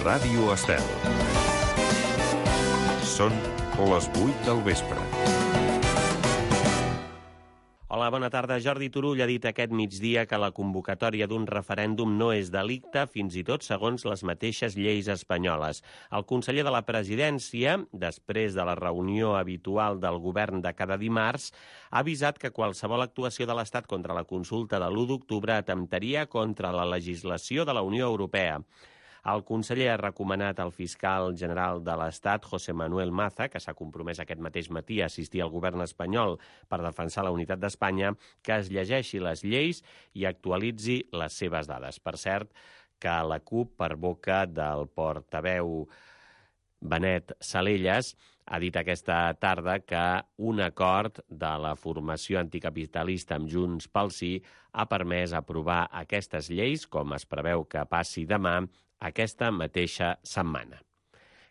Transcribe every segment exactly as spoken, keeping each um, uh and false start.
Ràdio Estel. Són les vuit del vespre. Hola, bona tarda. Jordi Turull ha dit aquest migdia que la convocatòria d'un referèndum no és delicte, fins i tot segons les mateixes lleis espanyoles. El conseller de la Presidència, després de la reunió habitual del govern de cada dimarts, ha avisat que qualsevol actuació de l'Estat contra la consulta de l'u d'octubre atemptaria contra la legislació de la Unió Europea. El conseller ha recomanat al fiscal general de l'Estat, José Manuel Maza, que s'ha compromès aquest mateix matí a assistir al govern espanyol per defensar la unitat d'Espanya, que es llegeixi les lleis i actualitzi les seves dades. Per cert, que la CUP, per boca del portaveu Benet Salellas, ha dit aquesta tarda que un acord de la formació anticapitalista amb Junts pel Sí ha permès aprovar aquestes lleis, com es preveu que passi demà, aquesta mateixa setmana.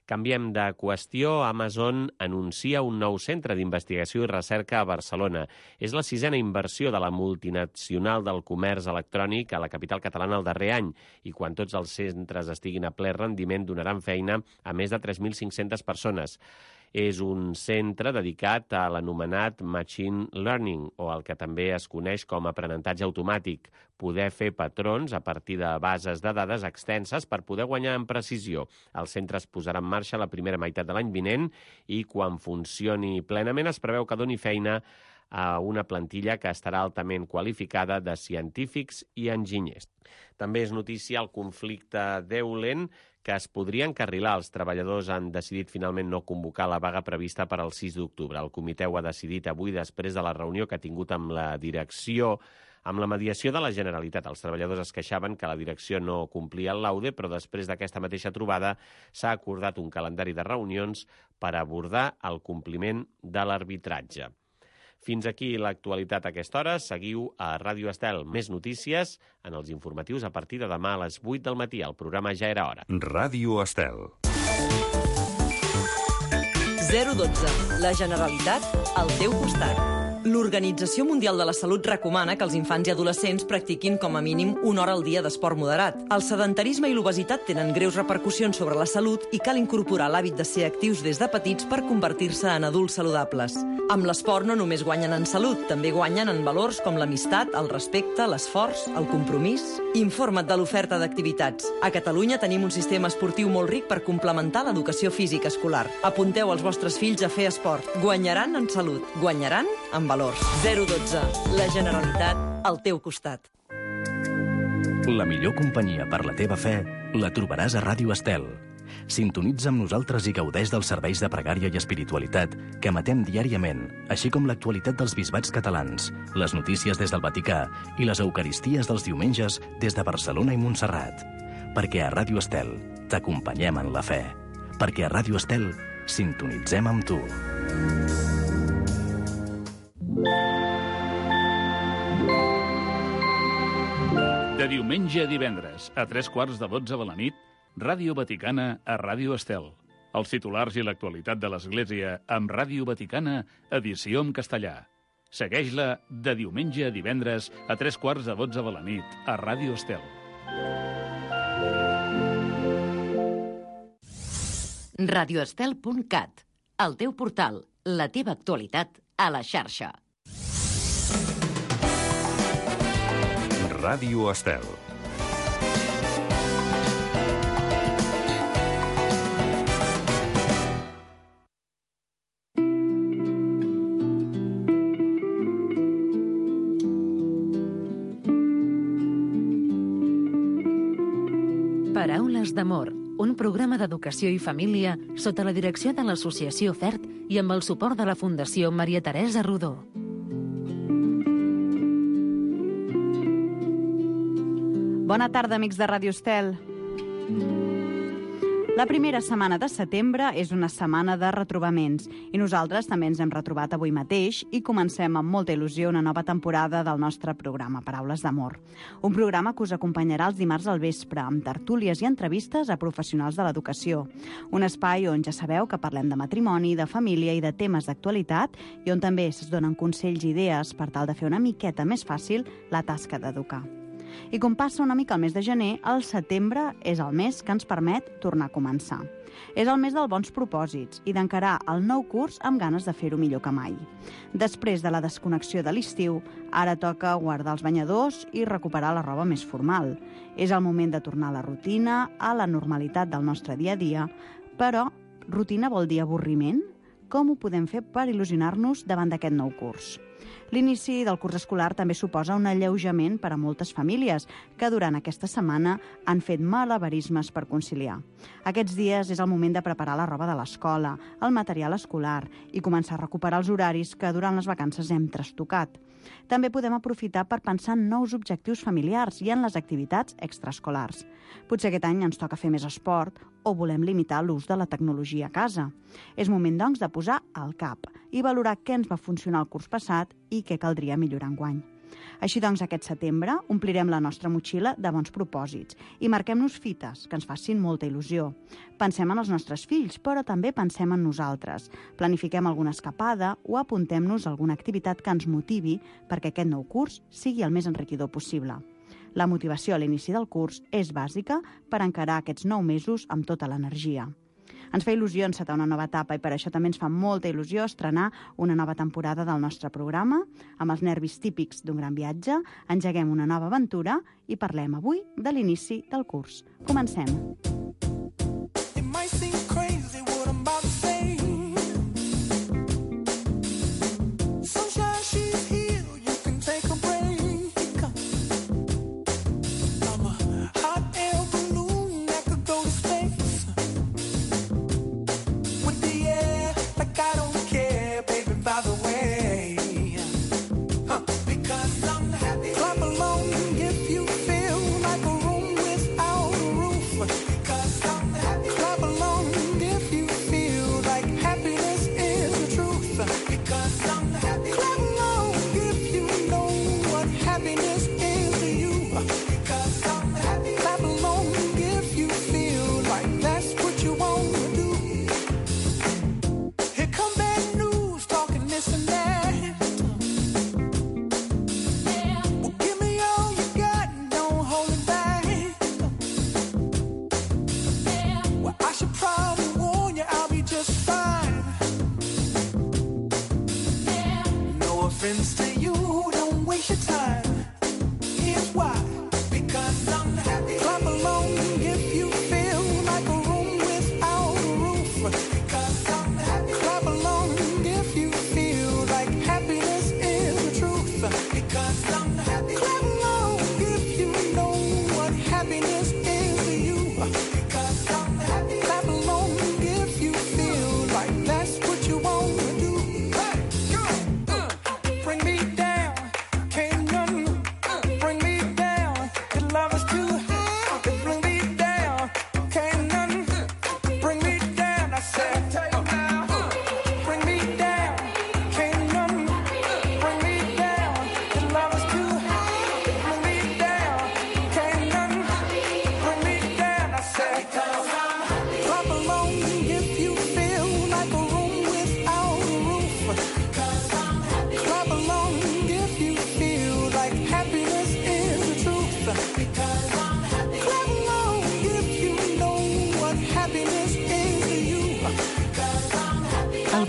Canviem de qüestió. Amazon anuncia un nou centre d'investigació i recerca a Barcelona. És la sisena inversió de la multinacional del comerç electrònic a la capital catalana el darrer any, i quan tots els centres estiguin a ple rendiment donaran feina a més de tres mil cinc-centes persones. És un centre dedicat a l'anomenat Machine Learning, o el que també es coneix com aprenentatge automàtic, poder fer patrons a partir de bases de dades extenses per poder guanyar en precisió. El centre es posarà en marxa la primera meitat de l'any vinent i quan funcioni plenament es preveu que doni feina a una plantilla que estarà altament qualificada de científics i enginyers. També és notícia el conflicte d'Eulen, que es podria encarrilar. Els treballadors han decidit finalment no convocar la vaga prevista per al sis d'octubre. El comitè ho ha decidit avui després de la reunió que ha tingut amb la direcció, amb la mediació de la Generalitat. Els treballadors es queixaven que la direcció no complia el laude, però després d'aquesta mateixa trobada s'ha acordat un calendari de reunions per abordar el compliment de l'arbitratge. Fins aquí l'actualitat a aquesta hora. Seguiu a Ràdio Estel. Més notícies en els informatius a partir de demà a les vuit del matí. El programa ja era hora. Ràdio Estel. zero dotze. La Generalitat al teu costat. L'Organització Mundial de la Salut recomana que els infants i adolescents practiquin com a mínim una hora al dia d'esport moderat. El sedentarisme i l'obesitat tenen greus repercussions sobre la salut i cal incorporar l'hàbit de ser actius des de petits per convertir-se en adults saludables. Amb l'esport no només guanyen en salut, també guanyen en valors com l'amistat, el respecte, l'esforç, el compromís. Informa't de l'oferta d'activitats. A Catalunya tenim un sistema esportiu molt ric per complementar l'educació física escolar. Apunteu els vostres fills a fer esport. Guanyaran en salut, guanyaran en valors. zero dotze. La Generalitat al teu costat. La millor companyia per la teva fe la trobaràs a Ràdio Estel. Sintonitza amb nosaltres i gaudeix dels serveis de pregària i espiritualitat que emetem diàriament, així com l'actualitat dels bisbats catalans, les notícies des del Vaticà i les eucaristies dels diumenges des de Barcelona i Montserrat. Perquè a Ràdio Estel t'acompanyem en la fe. Perquè a Ràdio Estel sintonitzem amb tu. De diumenge a divendres, a tres quarts de dotze de la nit, Ràdio Vaticana a Ràdio Estel. Els titulars i l'actualitat de l'Església amb Ràdio Vaticana, edició en castellà. Segueix-la de diumenge a divendres a tres quarts de dotze de la nit a Ràdio Estel. radioestel punt cat, el teu portal, la teva actualitat a la xarxa. Ràdio Estel. Paraules d'amor, un programa d'educació i família sota la direcció de l'Associació FERT i amb el suport de la Fundació Maria Teresa Rodó. Bona tarda, amics de Ràdio Estel. La primera setmana de setembre és una setmana de retrobaments i nosaltres també ens hem retrobat avui mateix i comencem amb molta il·lusió una nova temporada del nostre programa Paraules d'Amor. Un programa que us acompanyarà els dimarts al vespre amb tertúlies i entrevistes a professionals de l'educació. Un espai on ja sabeu que parlem de matrimoni, de família i de temes d'actualitat i on també es donen consells i idees per tal de fer una miqueta més fàcil la tasca d'educar. I com passa una mica el mes de gener, el setembre és el mes que ens permet tornar a començar. És el mes dels bons propòsits i d'encarar el nou curs amb ganes de fer-ho millor que mai. Després de la desconnexió de l'estiu, ara toca guardar els banyadors i recuperar la roba més formal. És el moment de tornar a la rutina, a la normalitat del nostre dia a dia, però rutina vol dir avorriment? Com ho podem fer per il·lusionar-nos davant d'aquest nou curs? L'inici del curs escolar també suposa un alleujament per a moltes famílies que durant aquesta setmana han fet malabarismes per conciliar. Aquests dies és el moment de preparar la roba de l'escola, el material escolar i començar a recuperar els horaris que durant les vacances hem trastocat. També podem aprofitar per pensar en nous objectius familiars i en les activitats extraescolars. Potser aquest any ens toca fer més esport o volem limitar l'ús de la tecnologia a casa. És moment, doncs, de posar al cap i valorar què ens va funcionar el curs passat i què caldria millorar enguany. Així doncs, aquest setembre omplirem la nostra motxilla de bons propòsits i marquem-nos fites que ens facin molta il·lusió. Pensem en els nostres fills, però també pensem en nosaltres. Planifiquem alguna escapada o apuntem-nos a alguna activitat que ens motivi perquè aquest nou curs sigui el més enriquidor possible. La motivació a l'inici del curs és bàsica per encarar aquests nou mesos amb tota l'energia. Ens fa il·lusió encetar una nova etapa i per això també ens fa molta il·lusió estrenar una nova temporada del nostre programa. Amb els nervis típics d'un gran viatge, engeguem una nova aventura i parlem avui de l'inici del curs. Comencem!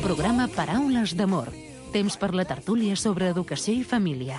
Programa Paraules d'Amor. Temps per la tertúlia sobre educació i família.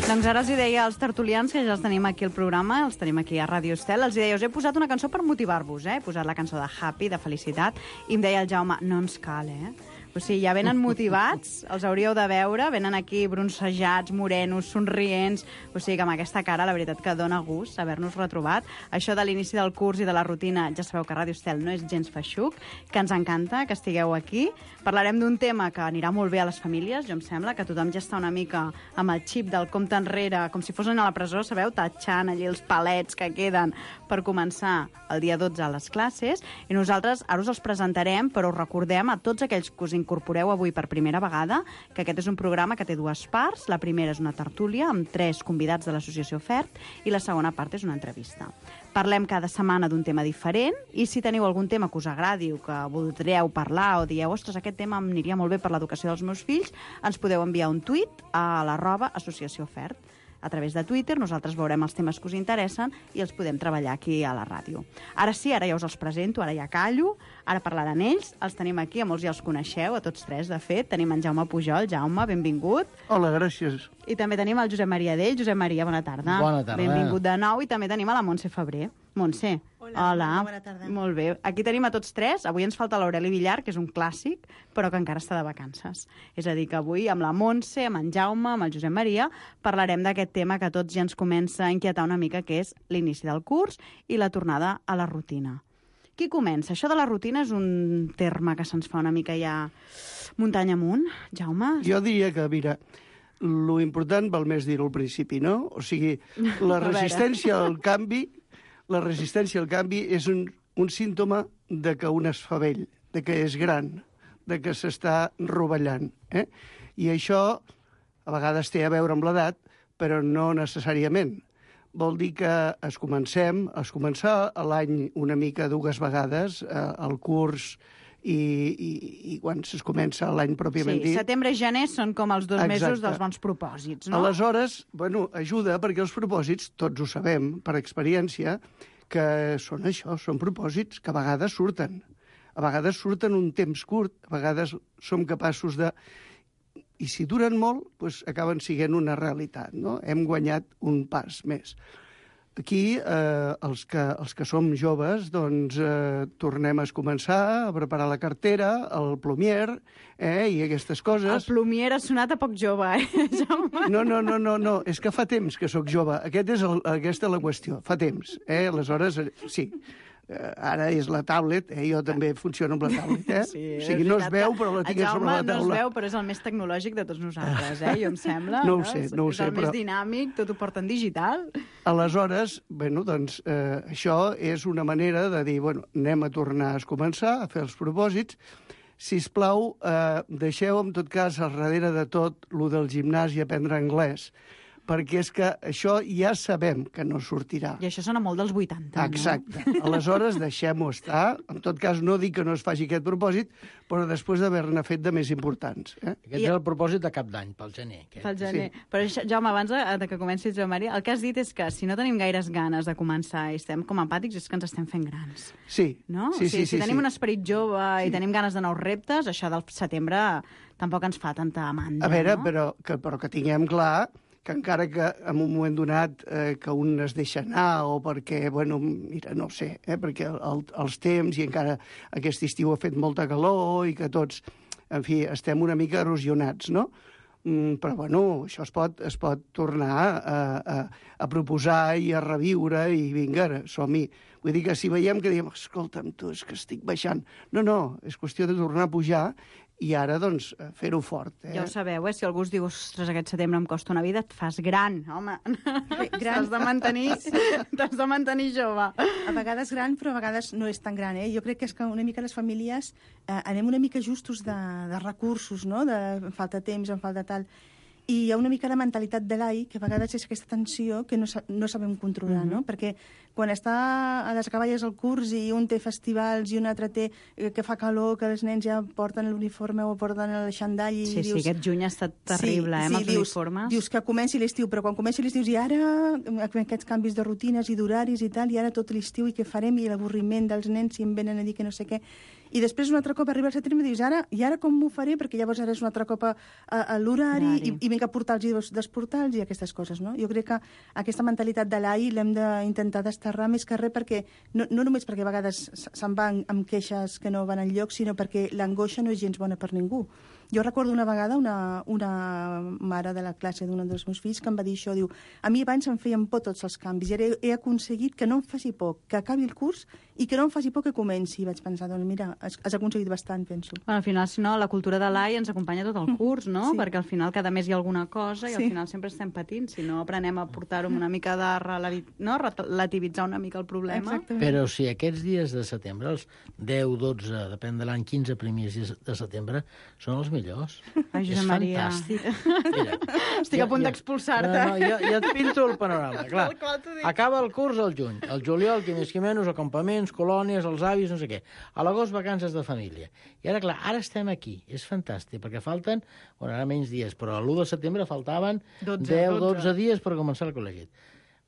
Doncs ara els hi deia als tertulians, que ja els tenim aquí al programa, els tenim aquí a Ràdio Estel, els hi deia, us he posat una cançó per motivar-vos, eh? He posat la cançó de Happy, de felicitat, i em deia el Jaume, no ens cal, eh? O sigui, ja venen motivats, els hauríeu de veure, venen aquí bronzejats, morenos, somrients, o sigui que amb aquesta cara la veritat que dona gust haver-nos retrobat. Això de l'inici del curs i de la rutina, ja sabeu que Ràdio Estel no és gens feixuc, que ens encanta que estigueu aquí. Parlarem d'un tema que anirà molt bé a les famílies, jo em sembla, que tothom ja està una mica amb el xip del compte enrere, com si fossin a la presó, sabeu, tatxant allí els palets que queden per començar el dia dotze a les classes, i nosaltres ara us els presentarem, però us recordem a tots aquells que us incorporeu avui per primera vegada, que aquest és un programa que té dues parts. La primera és una tertúlia amb tres convidats de l'associació FERT i la segona part és una entrevista. Parlem cada setmana d'un tema diferent i si teniu algun tema que us agradi o que voldreu parlar o dieu, ostres, aquest tema em aniria molt bé per l'educació dels meus fills, ens podeu enviar un tuit a l'arroba associació FERT. A través de Twitter nosaltres veurem els temes que us interessen i els podem treballar aquí a la ràdio. Ara sí, ara ja us els presento, ara ja callo, ara parlaran ells, els tenim aquí, a molts ja els coneixeu, a tots tres, de fet. Tenim en Jaume Pujol. Jaume, benvingut. Hola, gràcies. I també tenim el Josep Maria Dell. Josep Maria, bona tarda. Bona tarda. Benvingut de nou. I també tenim a la Montse Febrer. Montse. Hola, Hola. Bona tarda. Molt bé. Aquí tenim a tots tres. Avui ens falta l'Aureli Villar, que és un clàssic, però que encara està de vacances. És a dir, que avui amb la Montse, amb en Jaume, amb el Josep Maria, parlarem d'aquest tema que a tots ja ens comença a inquietar una mica, que és l'inici del curs i la tornada a la rutina. Qui comença? Això de la rutina és un terme que se'ns fa una mica ja muntanya amunt. Jaume? Jo diria que, mira, lo important val més dir-ho al principi, no? O sigui, la resistència al canvi, la resistència al canvi és un, un símptoma de que un es fa vell, de que és gran, de que s'està rovellant. Eh? I això a vegades té a veure amb l'edat, però no necessàriament. Vol dir que es comencem, es començar a l'any una mica dues vegades, eh, el curs i, i, i quan es comença l'any pròpiament sí, dit. Setembre i gener són com els dos Exacte. mesos dels bons propòsits, no? Aleshores, bueno, ajuda perquè els propòsits, tots ho sabem per experiència, que són això, són propòsits que a vegades surten. A vegades surten un temps curt, a vegades som capaços de... I si duren molt, doncs acaben sent una realitat, no? Hem guanyat un pas més. Aquí, eh, els, que, els que som joves, doncs eh, tornem a començar a preparar la cartera, el plomier, eh, i aquestes coses. El plomier ha sonat a poc jove, eh, Jaume? No, no, no, no, no, és que fa temps que sóc jove. Aquest és el, aquesta és la qüestió, fa temps. Eh? Aleshores, sí, eh, ara és la tablet, eh? Jo també funciono amb la tablet, eh? Sí, o sigui, no es veu, però la tinc a sobre la taula. No es veu, però és el més tecnològic de tots nosaltres, eh? Jo em sembla. No ho sé, no ho és sé, el però... més dinàmic, tot ho porta en digital. Aleshores, bueno, doncs, eh, això és una manera de dir, bueno, anem a tornar a començar a fer els propòsits. Sisplau, eh, deixeu, en tot cas, al darrere de tot, lo del gimnàs i aprendre anglès, perquè és que això ja sabem que no sortirà. I això sona molt dels vuitanta, Exacte. no? Aleshores, deixem-ho estar. En tot cas, no dic que no es faci aquest propòsit, però després d'haver-ne fet de més importants. Eh? Aquest I... és el propòsit de cap d'any, pel gener. Aquest. Pel gener. Sí. Però, això, Jaume, abans de, de que comenci Josep Maria, el que has dit és que si no tenim gaires ganes de començar i estem com apàtics és que ens estem fent grans. Sí. No? Sí, o sigui, sí, si sí, tenim sí. un esperit jove sí. i tenim ganes de nous reptes, això del setembre tampoc ens fa tanta mandra, A veure, no? però, que, però que tinguem clar que encara que en un moment donat eh, que un es deixa anar o perquè, bueno, mira, no sé, eh, perquè el, els temps i encara aquest estiu ha fet molta calor i que tots, en fi, estem una mica erosionats, no? Mm, però, bueno, això es pot, es pot tornar a, a, a proposar i a reviure i vinga, som-hi. Vull dir que si veiem que diem, escolta'm, tu, és que estic baixant. No, no, és qüestió de tornar a pujar i ara, doncs, fer-ho fort. Eh? Ja ho sabeu, eh? Si algú us diu, ostres, aquest setembre em costa una vida, et fas gran, home. T'has de mantenir, t'has de mantenir jove. A vegades gran, però a vegades no és tan gran, eh? Jo crec que és que una mica les famílies eh, anem una mica justos de, de recursos, no? De em falta temps, em falta tal... I hi ha una mica la mentalitat de l'A I, que a vegades és aquesta tensió que no, sa no sabem controlar, mm-hmm. no? Perquè quan està a les acaballes al curs i un té festivals i un altre té eh, que fa calor, que els nens ja porten l'uniforme o porten el xandall i sí, dius... Sí, aquest juny ha estat terrible, sí, eh, amb sí, els dius, uniformes. Dius que comenci l'estiu, però quan comenci l'estiu i ara aquests canvis de rutines i d'horaris i tal, i ara tot l'estiu i què farem, i l'avorriment dels nens si em venen a dir que no sé què... I després un altre cop arriba al setembre i dius, ara, i ara com m'ho faré? Perquè llavors ara és un altre cop a, a, a l'horari i, i vinc a portar-los i desportar-los i aquestes coses, no? Jo crec que aquesta mentalitat de l'A I l'hem d'intentar desterrar més que res perquè, no, no només perquè a vegades se'n van amb queixes que no van enlloc, sinó perquè l'angoixa no és gens bona per ningú. Jo recordo una vegada una, una mare de la classe d'un dels meus fills que em va dir això, diu, a mi abans em feien por tots els canvis, i ara he, he aconseguit que no em faci por que acabi el curs i que no em faci por que comenci. I vaig pensar, doncs mira, has, has aconseguit bastant, penso. Bueno, al final, si no, la cultura de l'A I ens acompanya tot el curs, no? Sí. Perquè al final cada mes hi ha alguna cosa i al Sí. final sempre estem patint. Si no aprenem a portar-ho amb una mica de relati... no? relativitzar una mica el problema. Exactament. Però si aquests dies de setembre, els deu, dotze, depèn de l'any, quinze primers dies de setembre, són els millors. Ai, és Josep Maria. fantàstic. Mira, Estic a punt d'expulsar-te. No, no, ja, ja et pinto el panorama. Clar, Tal qual t'ho dic. acaba el curs al juny. El juliol, qui més qui menys, acampaments, colònies, els avis, no sé què. A l'agost, vacances de família. I ara, clar, ara estem aquí. És fantàstic, perquè falten, bueno, ara menys dies, però l'u de setembre faltaven dotze, deu, dotze. dotze dies per començar el col·legi.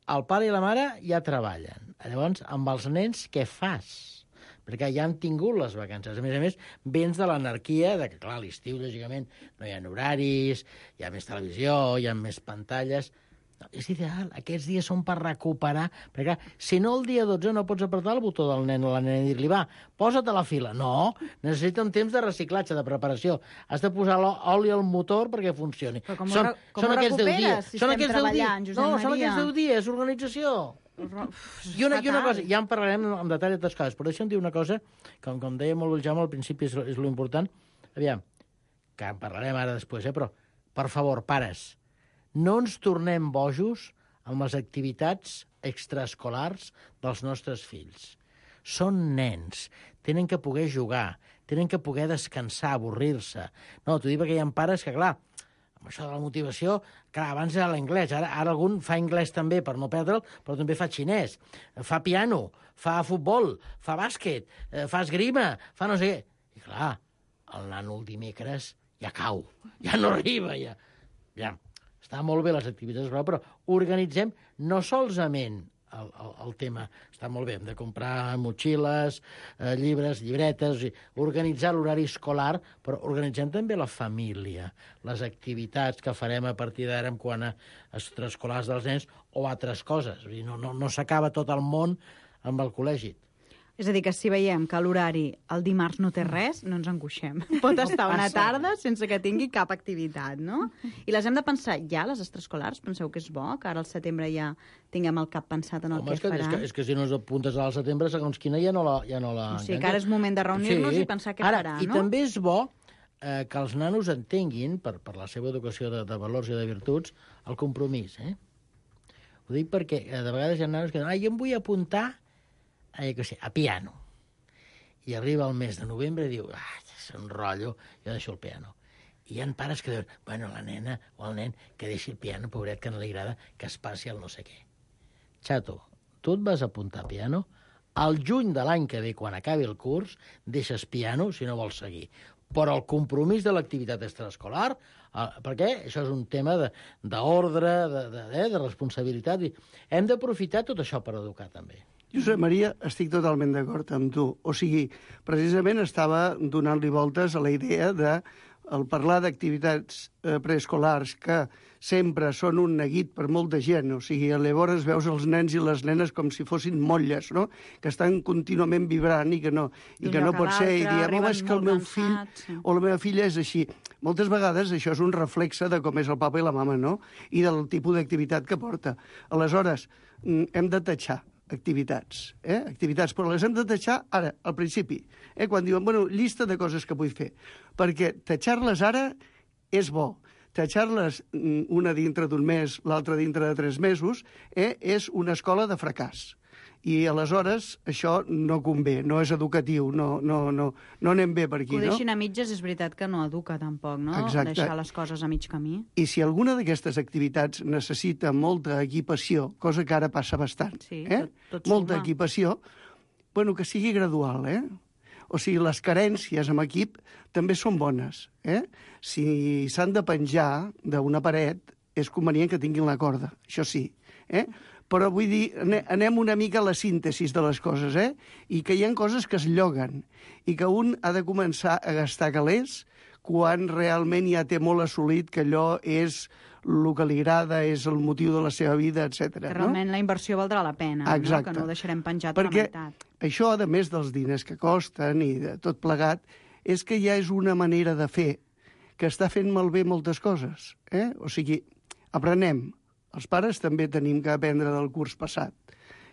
El pare i la mare ja treballen. Llavors, amb els nens, què fas? Perquè ja han tingut les vacances. A més a més, vens de l'anarquia, de que, clar, a l'estiu, lògicament, no hi ha horaris, hi ha més televisió, hi ha més pantalles. No, és ideal. Aquests dies són per recuperar. Perquè, clar, si no el dia dotze no pots apretar el botó del nen o la nena i dir-li, va, posa't a la fila. No, necessita un temps de reciclatge, de preparació. Has de posar l'oli al motor perquè funcioni. Però com ho són re- com són ho aquests deu recuperes, dies. si són estem aquests deu treballant, dies. Josep No, són Maria? aquests deu dies, organització. I una, I una cosa, ja en parlarem en detall de totes coses, però deixa'm dir una cosa, com, com deia molt el Jaume, al principi és, és l'important. Aviam, que en parlarem ara després, eh? Però, per favor, pares, no ens tornem bojos amb les activitats extraescolars dels nostres fills. Són nens, tenen que poder jugar, tenen que poder descansar, avorrir-se. No, t'ho dic perquè hi ha pares que, clar, amb això de la motivació, clar, abans era l'anglès, ara, ara algun fa anglès també per no perdre'l, però també fa xinès, fa piano, fa futbol, fa bàsquet, eh, fa esgrima, fa no sé què. I clar, el nano el dimecres ja cau, ja no arriba, ja. ja. Està molt bé les activitats, però organitzem no solament el, el, el tema, està molt bé, hem de comprar motxilles, eh, llibres, llibretes, o sigui, organitzar l'horari escolar, però organitzem també la família, les activitats que farem a partir d'ara en quant a extraescolars dels nens o altres coses. O sigui, no no, no s'acaba tot el món amb el col·legi. És a dir, que si veiem que l'horari el dimarts no té res, no ens angoixem. Pot estar una tarda sense que tingui cap activitat, no? I les hem de pensar ja, les extraescolars? Penseu que és bo, que ara al setembre ja tinguem el cap pensat en el Home, que és que, faran? és, que, és que si no ens apuntes al setembre, segons quina ja no la... Ja no la O sigui, que ara és moment de reunir-nos Sí. i pensar què Ara, farà, I no? també és bo eh, que els nanos entenguin, per, per la seva educació de, de valors i de virtuts, el compromís, eh? Ho dic perquè eh, de vegades hi ha nanos que diuen, ah, jo em vull apuntar a, que sé, a piano. I arriba el mes de novembre i diu, ah, és un rotllo, jo deixo el piano. I hi ha pares que diuen, bueno, la nena o el nen que deixi el piano, pobret, que no li agrada que es passi el no sé què. Xato, tu et vas apuntar a piano, al juny de l'any que ve, quan acabi el curs, deixes piano si no vols seguir. Però el compromís de l'activitat extraescolar, eh, perquè això és un tema d'ordre, de, de, de, de responsabilitat, i hem d'aprofitar tot això per educar també. Josep Maria, estic totalment d'acord amb tu. O sigui, precisament estava donant-li voltes a la idea de el parlar d'activitats eh, preescolars que sempre són un neguit per molta gent. O sigui, llavors veus els nens i les nenes com si fossin motlles, no? Que estan contínuament vibrant i que no, i que no pot ser. I diem, home, és que el meu fill o la meva filla és així. Moltes vegades això és un reflexe de com és el papa i la mama, no? I del tipus d'activitat que porta. Aleshores, hem de tatxar activitats, eh? Activitats, però les hem de tatxar ara, al principi, eh? Quan diuen, bueno, llista de coses que vull fer, perquè tatxar-les ara és bo. Tatxar-les una dintre d'un mes, l'altra dintre de tres mesos, eh? És una escola de fracàs. I aleshores això no convé, no és educatiu, no, no, no, no anem bé per aquí, no? Que ho deixin no? a mitges és veritat que no educa tampoc, no? Exacte. Deixar les coses a mig camí. I si alguna d'aquestes activitats necessita molta equipació, cosa que ara passa bastant, sí, eh? tot, tot molta suma. equipació, bueno, que sigui gradual, eh? O sigui, les carències amb equip també són bones, eh? Si s'han de penjar d'una paret, és convenient que tinguin la corda, això sí, eh? Però vull dir, anem una mica a la síntesis de les coses, eh? I que hi ha coses que es lloguen i que un ha de començar a gastar calés quan realment ja té molt assolit que allò és el que li agrada, és el motiu de la seva vida, etcètera. Que realment no? La inversió valdrà la pena, Exacte. No? Que no ho deixarem penjat Perquè a la meitat. això, a més dels diners que costen i de tot plegat, és que ja és una manera de fer que està fent malbé moltes coses. Eh? O sigui, aprenem. Els pares també tenim que aprendre del curs passat.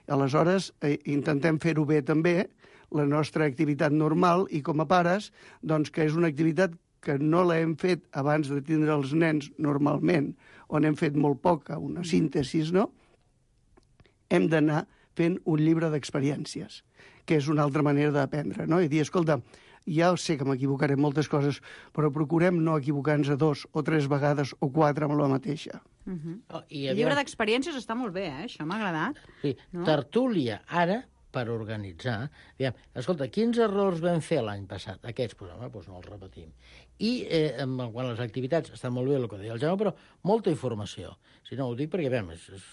Aleshores, eh, intentem fer-ho bé també, la nostra activitat normal, i com a pares, doncs que és una activitat que no l'hem fet abans de tindre els nens normalment, on hem fet molt poca, una síntesi, no? Hem d'anar fent un llibre d'experiències, que és una altra manera d'aprendre, no? I dir, escolta, ja sé que m'equivocaré en moltes coses, però procurem no equivocar-nos a dos o tres vegades o quatre amb la mateixa. Uh -huh. oh, i El llibre d'experiències està molt bé, eh? Això m'ha agradat. Sí, no? Tertúlia, ara, per organitzar. Diguem, escolta, quins errors vam fer l'any passat? Aquests, doncs, home, doncs no els repetim. I eh, quan les activitats estan molt bé, el que deia el Jaume, però molta informació. Si no, ho dic perquè, bé, és, és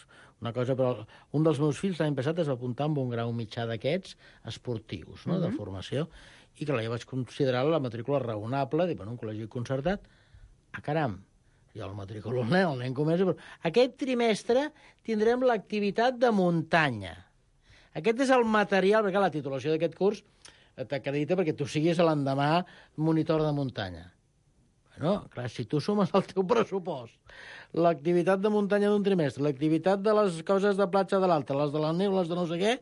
una cosa, però un dels meus fills l'any passat es va apuntar amb un grau mitjà d'aquests esportius, no?, uh -huh. de formació, i que la jo vaig considerar la matrícula raonable, dic, bueno, un col·legi concertat, a caram, jo el matriculo el nen, el nen comença, però aquest trimestre tindrem l'activitat de muntanya. Aquest és el material, perquè la titulació d'aquest curs t'acredita perquè tu siguis l'endemà monitor de muntanya. Bueno, clar, si tu sumes el teu pressupost, l'activitat de muntanya d'un trimestre, l'activitat de les coses de platja de l'altre, les de la neu, les de no sé què,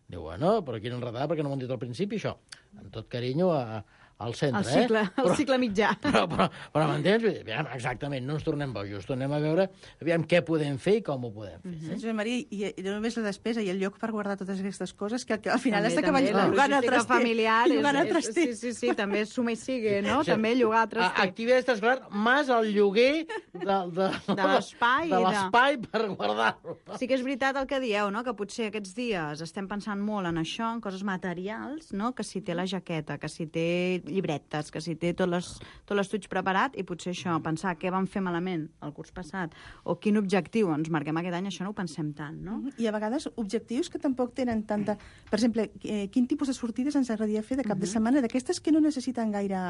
diu, bueno, però quina enredada, perquè no m'ho han dit al principi, això. Amb tot carinyo a, al centre, el cicle, eh? El però, cicle mitjà. Però, però, però m'entens? Exactament, no ens tornem bojos, tornem a veure aviam què podem fer i com ho podem fer. Mm-hmm. Josep Maria, i, i no només la despesa i el lloc per guardar totes aquestes coses, que, que al final també, has d'acabar jugant al traster. Familiar, jugant al és, traster. és, sí, sí, sí, també és suma i sigue, no? Sí. També llogar a traster. Activitat extraescolar, més el lloguer de, de, de l'espai. De l'espai de... per guardar-lo. Sí que és veritat el que dieu, no? Que potser aquests dies estem pensant molt en això, en coses materials, no? Que si té la jaqueta, que si té llibretes, que si té tot l'estuig preparat, i potser això, pensar què vam fer malament el curs passat, o quin objectiu ens marquem aquest any, això no ho pensem tant, no? I a vegades objectius que tampoc tenen tanta... Per exemple, eh, quin tipus de sortides ens agradaria fer de cap uh-huh. de setmana, d'aquestes que no necessiten gaire,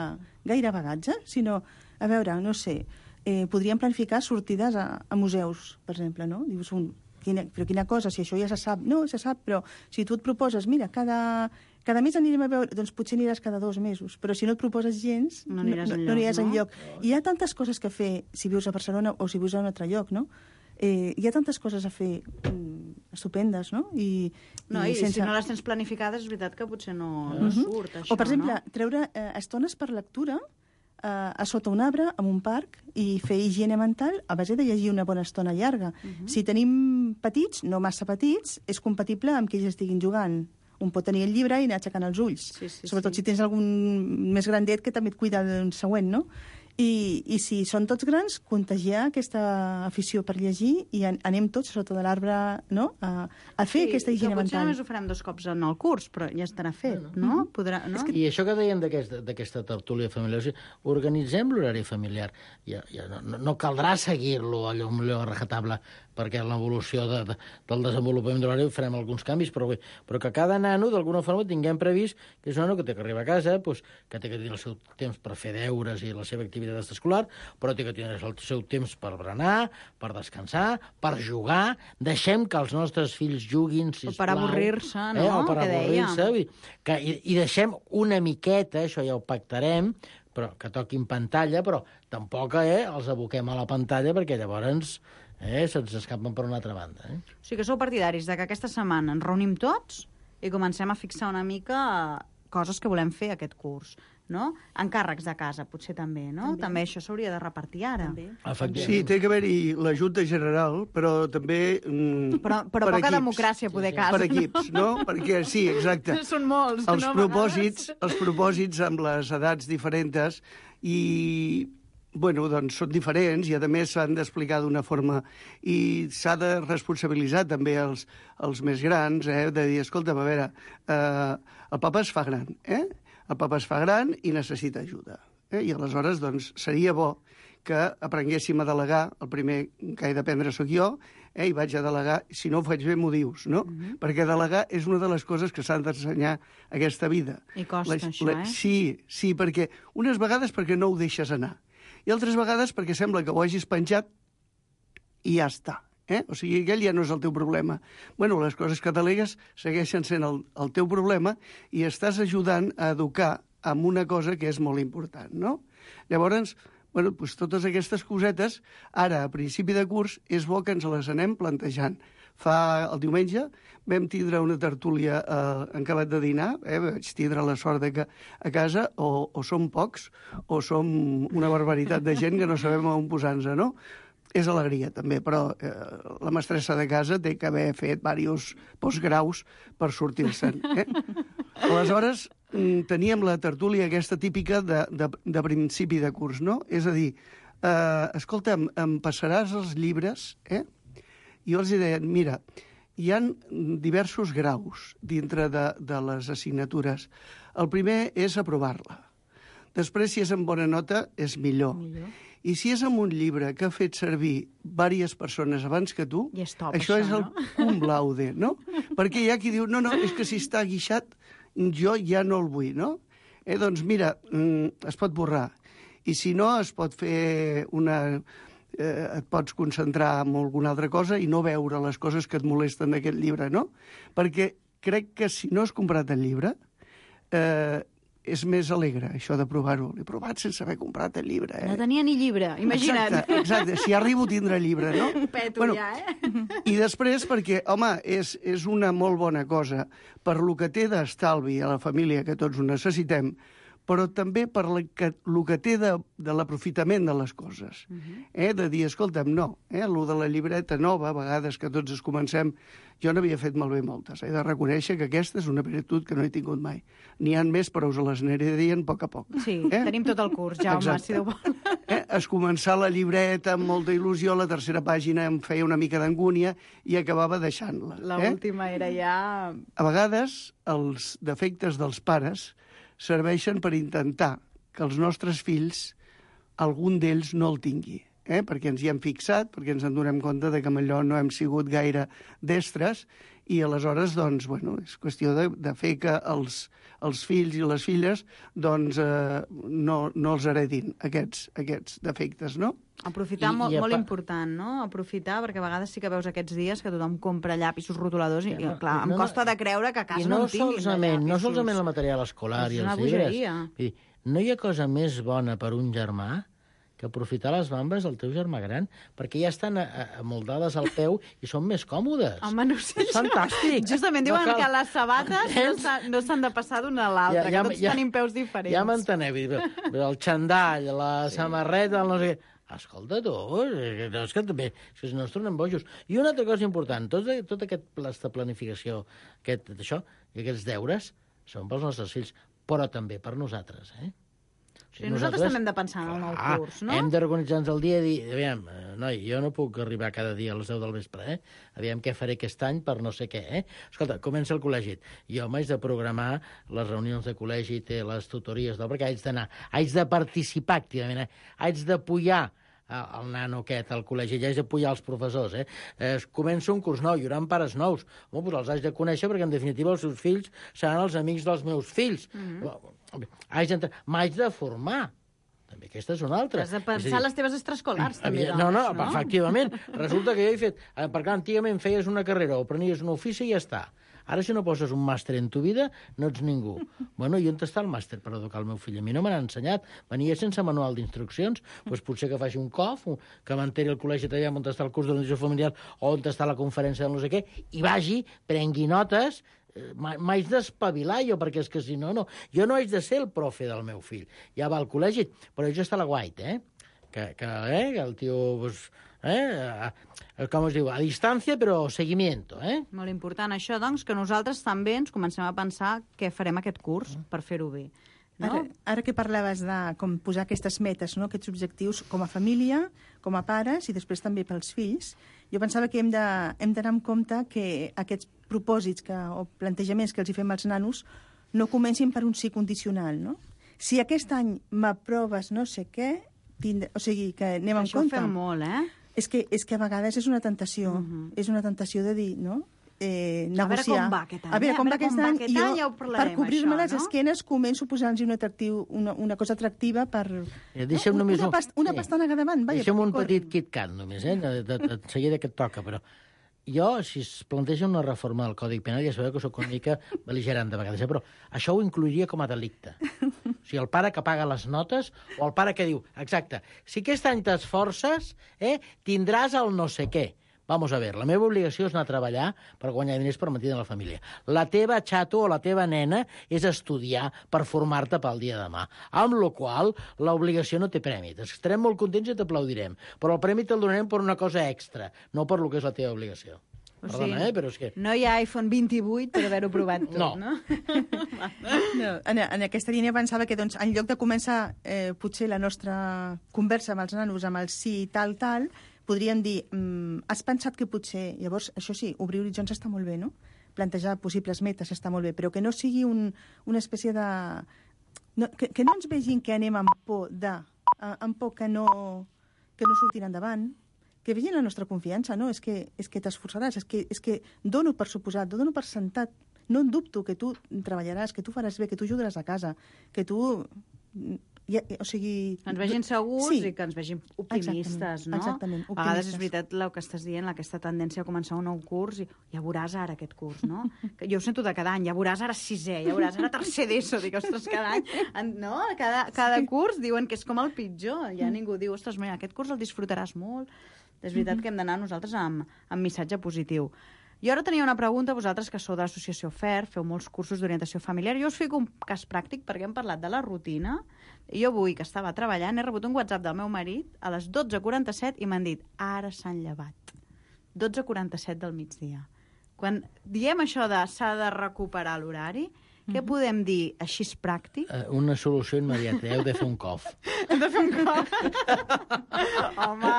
gaire bagatge, sinó, a veure, no sé, eh, podríem planificar sortides a, a museus, per exemple, no? Dius, un, quina, però quina cosa, si això ja se sap, no, se sap, però si tu et proposes, mira, cada... Cada mes anirem a veure, doncs potser aniràs cada dos mesos, però si no et proposes gens, no aniràs, no, enlloc, no aniràs no? enlloc. I hi ha tantes coses que fer si vius a Barcelona o si vius a un altre lloc, no? Eh, hi ha tantes coses a fer mm, estupendes, no? I, no, i, i sense... si no les tens planificades, és veritat que potser no, no uh-huh. surt, això, o, per exemple, no? treure eh, estones per lectura eh, a sota un arbre, en un parc, i fer higiene mental a base de llegir una bona estona llarga. Uh-huh. Si tenim petits, no massa petits, és compatible amb que ells estiguin jugant. Un pot tenir el llibre i anar aixecant els ulls. Sí, sí, Sobretot sí. si tens algun més grandet que també et cuida d'un següent, no? I, I si són tots grans, contagiar aquesta afició per llegir i an anem tots sota de l'arbre, no?, a, a fer sí, aquesta higiene mental. mental. Potser només ho farem dos cops en el curs, però ja estarà fet, no? no? Podrà, no? I això que dèiem d'aquesta tertúlia familiar, o sigui, organitzem l'horari familiar. Ja, ja no, no caldrà seguir-lo allò millor a rajatabla, perquè en l'evolució de, de, del desenvolupament de l'horari farem alguns canvis, però, bé, però que cada nano, d'alguna forma, tinguem previst que és un nano que té que arribar a casa, doncs, que té que tenir el seu temps per fer deures i la seva activitat escolar, però té que tenir el seu temps per berenar, per descansar, per jugar. Deixem que els nostres fills juguin, sisplau. O per avorrir-se, no? Eh? O per que avorrir-se. Que, i, I deixem una miqueta, això ja ho pactarem, però que toquin pantalla, però tampoc eh, els aboquem a la pantalla perquè llavors eh, se'ns escapen per una altra banda. Eh? O sigui que sou partidaris de que aquesta setmana ens reunim tots i comencem a fixar una mica coses que volem fer aquest curs, no? Encàrrecs de casa, potser també, no? També, també això s'hauria de repartir ara. Sí, té que haver-hi la Junta General, però també mm, però, però per poca equips. democràcia, poder casa. Per equips, no? Perquè, sí, exacte. Són molts, els no? Propòsits, els propòsits amb les edats diferents i... Bueno, doncs són diferents i, a més, s'han d'explicar d'una forma i s'ha de responsabilitzar també els, els més grans, eh? De dir, escolta, a veure, eh, el papa es fa gran, eh? El papa es fa gran i necessita ajuda. Eh? I aleshores, doncs, seria bo que aprenguéssim a delegar, el primer que he d'aprendre sóc jo, eh? I vaig a delegar, si no ho faig bé m'ho dius, no? Mm-hmm. Perquè delegar és una de les coses que s'han d'ensenyar aquesta vida. I costa, la, això, la, eh? Sí, sí, perquè unes vegades perquè no ho deixes anar, i altres vegades perquè sembla que ho hagis penjat i ja està. Eh? O sigui, aquell ja no és el teu problema. Bueno, les coses que delegues segueixen sent el, el teu problema i estàs ajudant a educar amb una cosa que és molt important, no? Llavors, Bueno, doncs totes aquestes cosetes, ara, a principi de curs, és bo que ens les anem plantejant. Fa el diumenge vam tindre una tertúlia eh, en acabat de dinar, eh, vaig tindre la sort de que a casa o, o som pocs o som una barbaritat de gent que no sabem on posar-nos, no? És alegria, també, però eh, la mestressa de casa té que haver fet diversos postgraus per sortir-se'n. Eh? Aleshores, teníem la tertúlia aquesta típica de, de, de principi de curs, no? És a dir, eh, escolta'm, em passaràs els llibres, eh? I jo els deien, mira, hi ha diversos graus dintre de, de les assignatures. El primer és aprovar-la. Després, si és amb bona nota, és millor. millor. I si és amb un llibre que ha fet servir diverses persones abans que tu, I és top, això, això és el no? cum laude, no? Perquè hi ha qui diu, no, no, és que si està guixat, jo ja no el vull, no? Eh, doncs mira, es pot borrar. I si no, es pot fer una... Eh, et pots concentrar en alguna altra cosa i no veure les coses que et molesten d'aquest llibre, no? Perquè crec que si no has comprat el llibre, eh, és més alegre, això de provar-ho. L'he provat sense haver comprat el llibre, eh? No tenia ni llibre, imagina't. Exacte, exacte. Si arribo a tindre llibre, no? Un peto bueno, ja, eh? I després, perquè, home, és, és una molt bona cosa per lo que té d'estalvi a la família, que tots ho necessitem, però també per el que, el que té de, de l'aprofitament de les coses. Uh-huh. eh? De dir, escolta'm, no, eh? el de la llibreta nova, a vegades que tots es comencem, jo n'havia fet malbé moltes. He de reconèixer que aquesta és una virtut que no he tingut mai. N'hi ha més, però us les aniré dient a poc a poc. Sí, eh? tenim tot el curs, Jaume, Exacte. si Déu vol. Eh? Es començar la llibreta amb molta il·lusió, la tercera pàgina em feia una mica d'angúnia i acabava deixant-la. L'última eh? era ja... A vegades, els defectes dels pares serveixen per intentar que els nostres fills, algun d'ells no el tingui, eh? perquè ens hi hem fixat, perquè ens en donem compte de que amb allò no hem sigut gaire destres, i aleshores, doncs, bueno, és qüestió de, de fer que els, els fills i les filles doncs, eh, no, no els heredin aquests, aquests defectes, no? Aprofitar, I, molt, i molt important, no? Aprofitar, perquè a vegades sí que veus aquests dies que tothom compra llapisos rotuladors i, ja, no, i clar, no, em costa no, de creure que a casa no, no en tinguin llapis. No solament el material escolar i els llibres. Dir, no hi ha cosa més bona per un germà que aprofitar les bambes del teu germà gran, perquè ja estan amoldades al peu i són més còmodes. Home, no sé. És fantàstic. Justament diuen no cal... que les sabates no s'han de passar d'una a l'altra, ja, ja, que tots ja, tenim peus diferents. Ja m'enteneu, el xandall, la sí. samarreta, el no sé què... Escolta, tu, no, és que també és que no ens tornem bojos. I una altra cosa important, tot, tot aquest pla de planificació, aquest, això, i aquests deures, són pels nostres fills, però també per nosaltres, eh? O sigui, nosaltres, nosaltres també hem de pensar en el nou ah, curs, no? Hem d'organitzar-nos el dia i dir, aviam, noi, jo no puc arribar cada dia a les deu del vespre, eh? Aviam què faré aquest any per no sé què, eh? Escolta, comença el col·legi. Jo m'haig de programar les reunions de col·legi, té les tutories, no? Perquè haig d'anar, haig de participar activament, eh? Haig d'apoyar el nano aquest al col·legi, ja haig d'apoyar els professors, eh? eh? Comença un curs nou, hi haurà pares nous. Home, doncs els haig de conèixer perquè, en definitiva, els seus fills seran els amics dels meus fills. Mm-hmm. Haig de... M'haig de formar. També aquesta és una altra. Has de pensar dir, les teves extraescolars, també, doncs, no, no, no? Efectivament. Resulta que jo he fet... Perquè antigament feies una carrera o prenies un ofici i ja està. Ara, si no poses un màster en tu vida, no ets ningú. Bueno, i on està el màster per educar el meu fill? A mi no me n'ha ensenyat. Venia sense manual d'instruccions. Doncs potser que faci un C O F, que m'enteri el col·legi allà on està el curs d'organització familiar o on està la conferència de no sé què, i vagi, prengui notes, m'haig d'espavilar jo, perquè és que si no, no. Jo no haig de ser el profe del meu fill. Ja va al col·legi, però jo està a la guait, eh? Que, que, eh? que el tio... Pues, eh? Com es diu? A distància, però seguimiento, eh? Molt important això, doncs, que nosaltres també ens comencem a pensar què farem aquest curs per fer-ho bé. No? Ara, ara que parlaves de com posar aquestes metes, no? Aquests objectius com a família, com a pares i després també pels fills, jo pensava que hem de, hem d'anar amb compte que aquests propòsits que, o plantejaments que els hi fem als nanos no comencin per un sí condicional, no? Si aquest any m'aproves no sé què, tindre... o sigui, que anem en això compte. Això ho fem molt, eh? És que, és que a vegades és una tentació, uh-huh. és una tentació de dir, no? Eh, negociar. A veure com va aquest any. A veure com va aquest any, aquest any ja ho parlarem, per cobrir-me això, les no? esquenes començo a posar-los un atractiu, una, una cosa atractiva per... Eh, deixa'm no? només... Una, past, una sí. pastanaga davant, vaja. Deixa'm un petit KitKat només, eh? De, de, de, de seguida que et toca, però... jo, si es planteja una reforma del Codi Penal, ja sabeu que soc una mica bel·ligerant de vegades, eh? Però això ho incluiria com a delicte. O sigui, el pare que paga les notes o el pare que diu, exacte, si aquest any t'esforces, eh, tindràs el no sé què. Vamos a ver, la meva obligació és anar a treballar per guanyar diners per mantenir la família. La teva xato o la teva nena és estudiar per formar-te pel dia de demà. Amb la qual l'obligació no té premi. Estarem molt contents i t'aplaudirem, però el premi te'l donarem per una cosa extra, no per lo que és la teva obligació. O Perdona, sigui, eh, però és que... No hi ha iPhone vint-i-vuit per haver-ho provat tot, no? no? no en, en aquesta línia pensava que, doncs, en lloc de començar eh, potser la nostra conversa amb els nanos amb el sí, tal, tal, podríem dir, mm, has pensat que potser... Llavors, això sí, obrir horitzons està molt bé, no? Plantejar possibles metes està molt bé, però que no sigui un, una espècie de... No, que, que no ens vegin que anem amb por de... amb por que no, que no surtin endavant, que vegin la nostra confiança, no? És que, és que t'esforçaràs, és que, és que dono per suposat, dono per sentat, no en dubto que tu treballaràs, que tu faràs bé, que tu ajudaràs a casa, que tu... Ja, o sigui... Que ens vegin segurs sí. I que ens vegin optimistes, exactament, no? Exactament, optimistes. A vegades és veritat el que estàs dient, aquesta tendència a començar un nou curs i ja veuràs ara aquest curs, no? Que jo ho sento de cada any, ja veuràs ara sisè, ja veuràs ara tercer d'ESO, dic, ostres, cada any, no? Cada, cada sí. curs diuen que és com el pitjor, ja ningú diu, ostres, mira, aquest curs el disfrutaràs molt. És veritat mm-hmm. que hem d'anar nosaltres amb, amb missatge positiu. Jo ara tenia una pregunta, vosaltres que sou de l'associació F E R, feu molts cursos d'orientació familiar, jo us fico un cas pràctic perquè hem parlat de la rutina, i jo avui que estava treballant he rebut un WhatsApp del meu marit a les dotze quaranta-set i m'han dit, ara s'han llevat. dotze quaranta-set del migdia. Quan diem això de s'ha de recuperar l'horari, què podem dir així és pràctic? Uh, una solució immediata, heu de fer un cof. Hem de fer un cof? home,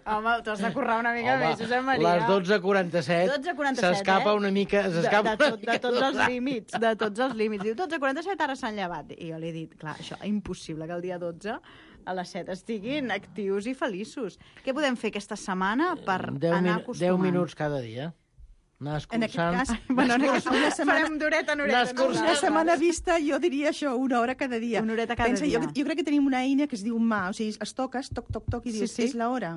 home, tu has de currar una mica home, més, Josep Maria. Les dotze quaranta-set s'escapa eh? una mica... De, de, tot, de tots els límits, de tots els límits. Diu, dotze quaranta-set ara s'han llevat. I jo li he dit, clar, això, impossible que el dia dotze a les set estiguin actius i feliços. Què podem fer aquesta setmana per anar acostumant? deu minuts cada dia. Anar escurçant. En aquest cas, bueno, en aquest, una setmana, farem d'horeta en horeta. Una setmana vista, jo diria això, una hora cada dia. Una horeta cada Pensa, dia. Jo, jo crec que tenim una eina que es diu mà, o sigui, es toques, toc, toc, toc, i dius, sí, sí. És l'hora.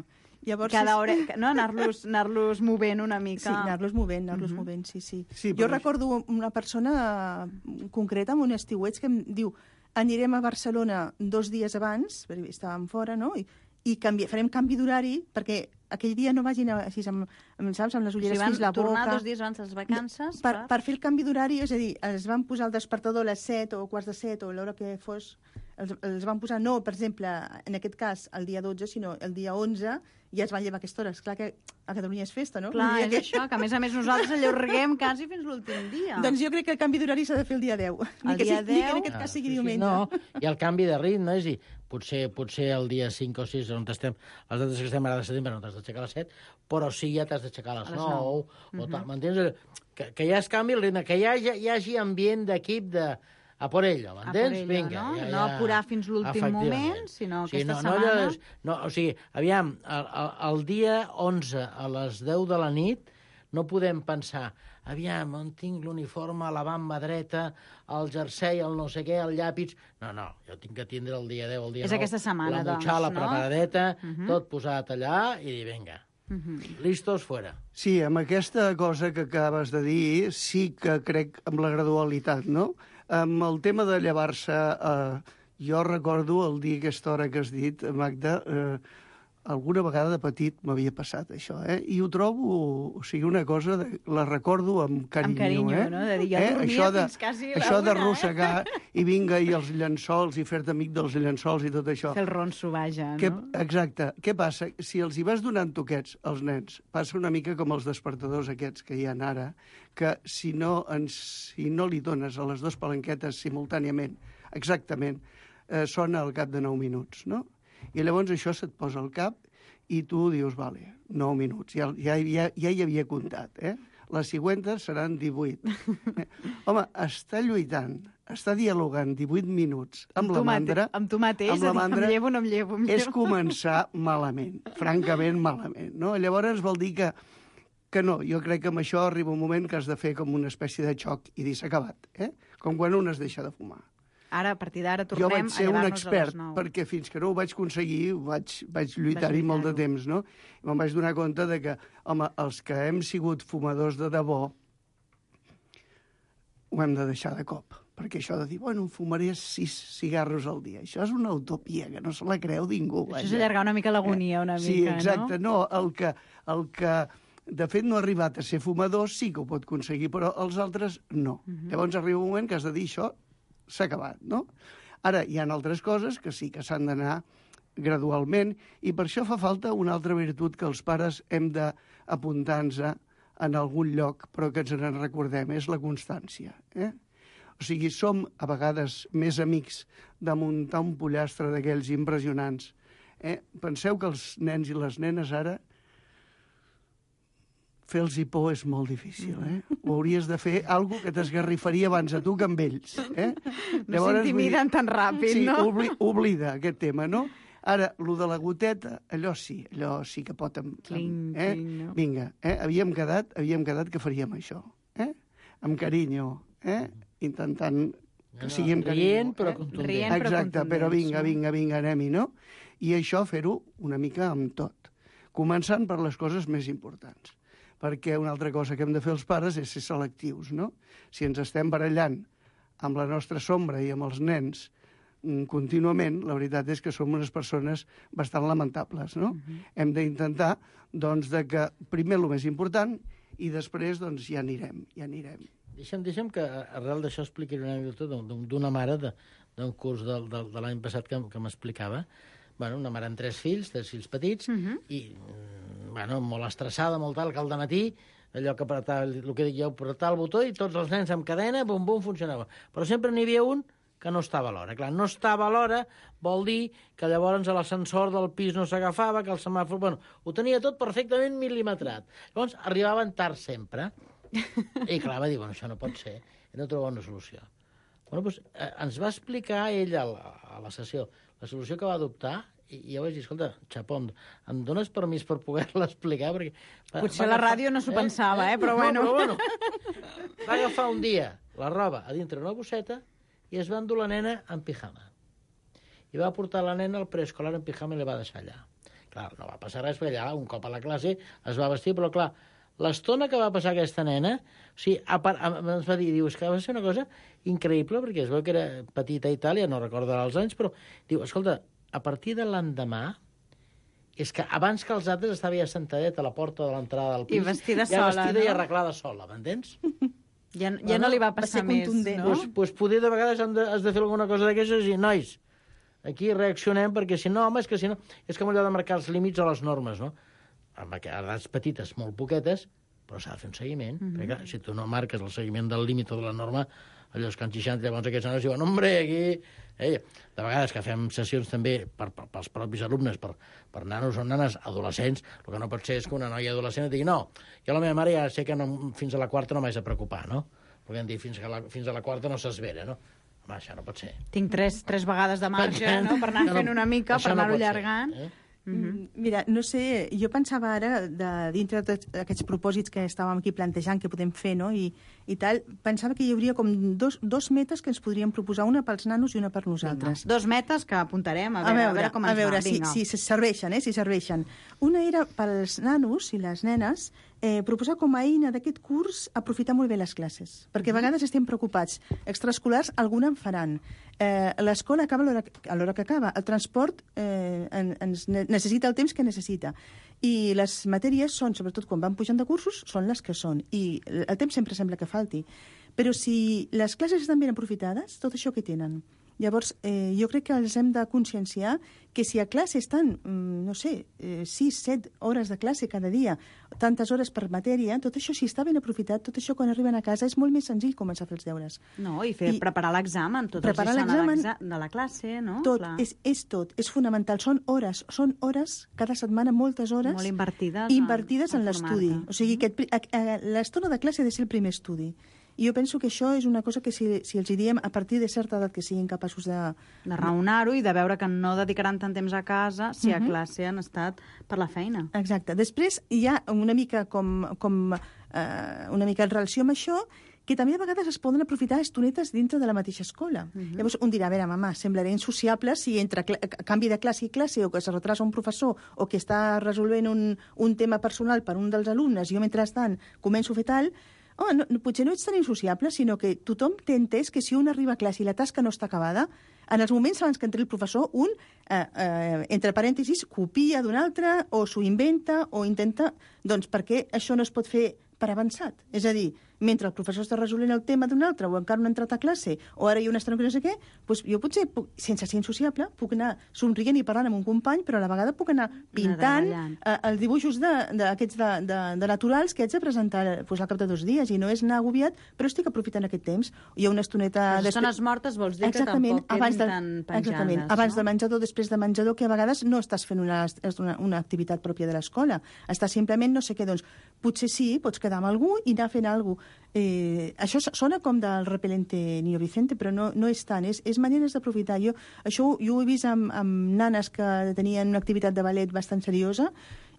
Llavors, cada hora, no? Anar-los anar-los movent una mica. Sí, anar-los movent, anar-los uh -huh. movent, sí, sí. sí jo recordo una persona concreta, amb un estiueig, que em diu, anirem a Barcelona dos dies abans, perquè estàvem fora, no?, i, i canvi, farem canvi d'horari, perquè aquell dia no vagin així amb, amb, saps, amb les ulleres o sigui, fins la boca. Tornar dos dies abans de les vacances. Per, per fer el canvi d'horari, és a dir, es van posar el despertador a les set o quarts de set o l'hora que fos, els, els van posar, no, per exemple, en aquest cas, el dia dotze, sinó el dia onze, i es van llevar a aquesta hora. És clar que a Catalunya és festa, no? Clar, és que... això, que a més a més nosaltres allarguem quasi fins l'últim dia. Doncs jo crec que el canvi d'horari s'ha de fer el dia deu. El ni que dia sigui, deu? Ni que en aquest cas sigui sí, diumenge. No, i el canvi de ritme, és a dir, potser, potser el dia cinc o sis, on estem, les dates que estem ara de setembre, no t'has d'aixecar a les set, però sí ja t'has d'aixecar a les nou, o tal, m'entens? Que, que ja es canvi el ritme, que hi hagi, hi hagi ambient d'equip de... A por ello, m'entens? Vinga. No, ja, ja. no apurar fins l'últim moment, sinó sí, aquesta no, setmana... No, no, o sigui, aviam, el, el, el dia onze a les deu de la nit no podem pensar, aviam, on tinc l'uniforme, la bamba dreta, el jersei, el no sé què, el llapis... No, no, jo tinc que tindre el dia deu, el dia És nou, aquesta setmana, la motxala doncs, no? preparadeta, uh -huh. tot posat allà i dir, vinga, uh -huh. listos, fuera. Sí, amb aquesta cosa que acabes de dir, sí que crec amb la gradualitat, no? Amb el tema de llevar-se, eh, jo recordo el dir aquesta hora que has dit, Magda, eh, alguna vegada de petit m'havia passat això, eh? I ho trobo, o sigui, una cosa, de, la recordo amb carinyo, amb carinyo, eh? no? De dir, jo eh? dormia això de, fins quasi la això una, d'arrossegar eh? i vinga, i els llençols, i fer-te amic dels llençols i tot això. Fer el ronso, vaja, no? Què, exacte. Què passa? Si els hi vas donant toquets als nens, passa una mica com els despertadors aquests que hi ha ara, que si no, ens, si no li dones a les dues palanquetes simultàniament, exactament, eh, sona al cap de nou minuts, no? I llavors això se't posa al cap i tu dius, vale, nou minuts, ja, ja, ja, ja hi havia comptat, eh? Les següentes seran divuit. Eh? Home, està lluitant, està dialogant divuit minuts amb, amb la mandra... Amb tu mateix, amb la mandra, em llevo, no em llevo, em llevo. És començar malament, francament malament, no? Llavors vol dir que que no, jo crec que amb això arriba un moment que has de fer com una espècie de xoc i dir s'ha acabat, eh? Com quan un es deixa de fumar. ara, a partir d'ara, jo tornem vaig ser a un llevar-nos a expert, les nou. perquè fins que no ho vaig aconseguir vaig, vaig lluitar-hi molt de temps, no? I me'n vaig donar compte de que, home, els que hem sigut fumadors de debò ho hem de deixar de cop. Perquè això de dir, bueno, fumaré sis cigarros al dia, això és una utopia, que no se la creu ningú. Això és allargar una mica l'agonia, una sí, mica, exacte, no? no, el que, el que de fet no ha arribat a ser fumador sí que ho pot aconseguir, però els altres no. Uh -huh. Llavors arriba un moment que has de dir això s'ha acabat, no? Ara, hi ha altres coses que sí que s'han d'anar gradualment i per això fa falta una altra virtut que els pares hem d'apuntar-nos en algun lloc, però que ens en recordem, és la constància, eh? O sigui, som a vegades més amics de muntar un pollastre d'aquells impressionants. Eh? Penseu que els nens i les nenes ara fer-los por és molt difícil, eh? Ho hauries de fer alguna que t'esgarrifaria abans a tu que amb ells, eh? No s'intimiden tan ràpid, sí, no? Sí, obli oblida aquest tema, no? Ara, lo de la goteta, allò sí, allò sí que pot... Amb, cling, eh? cling, no? Vinga, eh? havíem, quedat, havíem quedat que faríem això, eh? Amb carinyo, eh? Intentant que sigui amb carinyo. Rient, però contundent. Rient, però Exacte, contundents, però vinga, no? vinga, vinga, anem-hi, no? I això fer-ho una mica amb tot. Començant per les coses més importants. Perquè una altra cosa que hem de fer els pares és ser selectius, no? Si ens estem barallant amb la nostra sombra i amb els nens contínuament, la veritat és que som unes persones bastant lamentables, no? Uh-huh. Hem d'intentar, doncs, de que primer el més important i després, doncs, ja anirem, ja anirem. Deixa'm, deixa'm que arrel d'això expliqui una anècdota d'una mare d'un curs de, de, de l'any passat que, que m'explicava. Bueno, una mare amb tres fills, tres fills petits, uh-huh. i bueno, molt estressada, molt tal, que al dematí, allò que apretar, el que dic jo, apretar el botó i tots els nens amb cadena, bum, bum, funcionava. Però sempre n'hi havia un que no estava a l'hora. Clar, no estava a l'hora vol dir que llavors l'ascensor del pis no s'agafava, que el semàfor... Bueno, ho tenia tot perfectament mil·limetrat. Llavors, arribaven tard sempre. I clar, va dir, bueno, això no pot ser. I no troba una solució. Bueno, doncs, eh, ens va explicar ell a la, a la sessió la solució que va adoptar i jo vaig dir, escolta, Chapón, em dones permís per poder-la explicar? Perquè potser la ràdio no s'ho eh? pensava, eh? Però, bueno. No, però bueno. Va agafar un dia la roba a dintre una bosseta i es va endur la nena en pijama. I va portar la nena al preescolar en pijama i la va deixar allà. Clar, no va passar res, perquè allà, un cop a la classe, es va vestir, però clar, l'estona que va passar aquesta nena, o sigui, a part, ens va dir, diu, és que va ser una cosa increïble, perquè es veu que era petita a Itàlia, no recordarà els anys, però diu, escolta, a partir de l'endemà, és que abans que els altres estava ja sentadet a la porta de l'entrada del pis. I vestida ja sola, vestida no? i arreglada sola, m'entens? Ja, ja no, no li va passar va més, no? Pues, pues poder de vegades han de, has de fer alguna cosa d'aquestes i dir, nois, aquí reaccionem perquè si no, home, és que si no... És com allò de marcar els límits o les normes, no? Amb edats petites, molt poquetes, però s'ha de fer un seguiment. Mm-hmm. Perquè clar, si tu no marques el seguiment del límit o de la norma, allò és que en seixanta, llavors aquests nanos diuen, hombre, aquí... Eh, de vegades que fem sessions també per, per, pels propis alumnes, per, per nanos o nanes adolescents, el que no pot ser és que una noia adolescent et digui no, jo la meva mare ja sé que no, fins a la quarta no m'haig de preocupar, no? Perquè hem dit fins a la, fins a la quarta no s'esvera, no? Home, això no pot ser. Tinc tres, tres vegades de marge, no?, per anar fent una mica, per anar-ho allargant. Eh? Mm-hmm. Mira, no sé, jo pensava ara, de, dintre de tots aquests propòsits que estàvem aquí plantejant que podem fer, no?, i, i tal, pensava que hi hauria com dos, dos metes que ens podríem proposar, una pels nanos i una per nosaltres. Vinga. Dos metes que apuntarem, a veure, a veure, a veure com ens a veure va. Si, si, si serveixen, eh, si serveixen. Una era pels nanos i les nenes, eh, proposar com a eina d'aquest curs aprofitar molt bé les classes, perquè a vegades estem preocupats. Extraescolars, alguna en faran. Eh, l'escola acaba a l'hora que acaba. El transport eh, en, ens necessita el temps que necessita. I les matèries són, sobretot quan van pujant de cursos, són les que són. I el temps sempre sembla que falti. Però si les classes estan ben aprofitades, tot això que tenen. Llavors, eh, jo crec que els hem de conscienciar que si a classe estan, mm, no sé, eh, sis, set hores de classe cada dia, tantes hores per matèria, tot això, si està ben aprofitat, tot això quan arriben a casa és molt més senzill començar a fer els deures. No, i fer, I preparar l'examen, tot el sistema de la classe, no? Tot, és, és tot, és fonamental. Són hores, són hores, cada setmana, moltes hores... Molt invertides. Invertides en, en l'estudi. O sigui, que l'estona de classe ha de ser el primer estudi. I jo penso que això és una cosa que si, si els hi diem a partir de certa edat que siguin capaços de... De raonar-ho i de veure que no dedicaran tant temps a casa si a uh-huh. classe han estat per la feina. Exacte. Després hi ha una mica com, com eh, una mica en relació amb això, que també a vegades es poden aprofitar estonetes dintre de la mateixa escola. Uh-huh. Llavors, un dirà, a veure, mamà, semblaré insociable si entre canvi de classe i classe o que es retrasa un professor o que està resolvent un, un tema personal per un dels alumnes i jo, mentrestant, començo a fer tal. Home, no, potser no ets tan insociable, sinó que tothom té entès que si un arriba a classe i la tasca no està acabada, en els moments abans que entri el professor, un, eh, eh, entre parèntesis, copia d'un altre o s'ho inventa o intenta... Doncs perquè això no es pot fer per avançat. És a dir, mentre el professor està resolent el tema d'un altre o encara no ha entrat a classe o ara hi ha una estona que no sé què, doncs jo potser, puc, sense ser insociable, puc anar somrient i parlant amb un company, però a la vegada puc anar pintant eh, els dibuixos d'aquests de, de, de, de naturals que haig de presentar doncs, al cap de dos dies i no és anar agobiat, però estic aprofitant aquest temps. Hi ha una estoneta... Les estones mortes vols dir exactament, que tampoc quedin de, tan penjades. Exactament, abans no? del menjador, després del menjador, que a vegades no estàs fent una, una, una activitat pròpia de l'escola. Estàs simplement, no sé què, doncs, potser sí, pots quedar amb algú i anar fent alguna cosa. Eh, això sona com del repelente Niño Vicente, però no, no és tant, és, és maneres d'aprofitar. Jo, això jo ho he vist amb, amb nanes que tenien una activitat de ballet bastant seriosa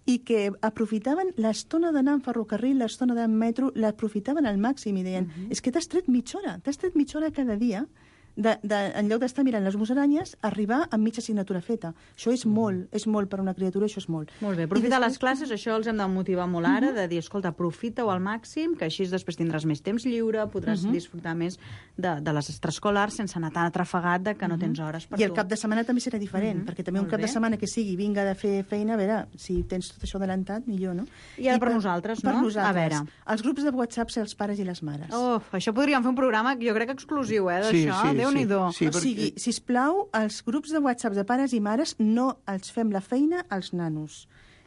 i que aprofitaven l'estona d'anar en ferrocarril, l'estona d'anar en metro, l'aprofitaven al màxim i deien, uh-huh. és que t'has tret mitja hora, t'has tret mitja hora cada dia, de, de, en lloc d'estar mirant les musaranyes, arribar amb mitja assignatura feta. Això és molt, és molt per a una criatura, això és molt. Molt bé, aprofitar després... les classes, això els hem de motivar molt ara, uh-huh. de dir, escolta, aprofita-ho al màxim, que així després tindràs més temps lliure, podràs uh-huh. disfrutar més de, de les extraescolars sense anar tan atrafegat de que no tens hores per I tu. el cap de setmana també serà diferent, uh-huh. perquè també molt un cap bé. de setmana que sigui vinga de fer feina, a veure, si tens tot això adelantat, millor, no? I ara I per, per nosaltres, no? Per nosaltres. A veure. Els grups de WhatsApp ser els pares i les mares. Oh, això podríem fer un programa, jo crec, exclusiu, eh, d'això. Sí, sí, Déu-n'hi-do. Sí, sí, o sigui, sisplau, els grups de WhatsApp de pares i mares no els fem la feina als nanos.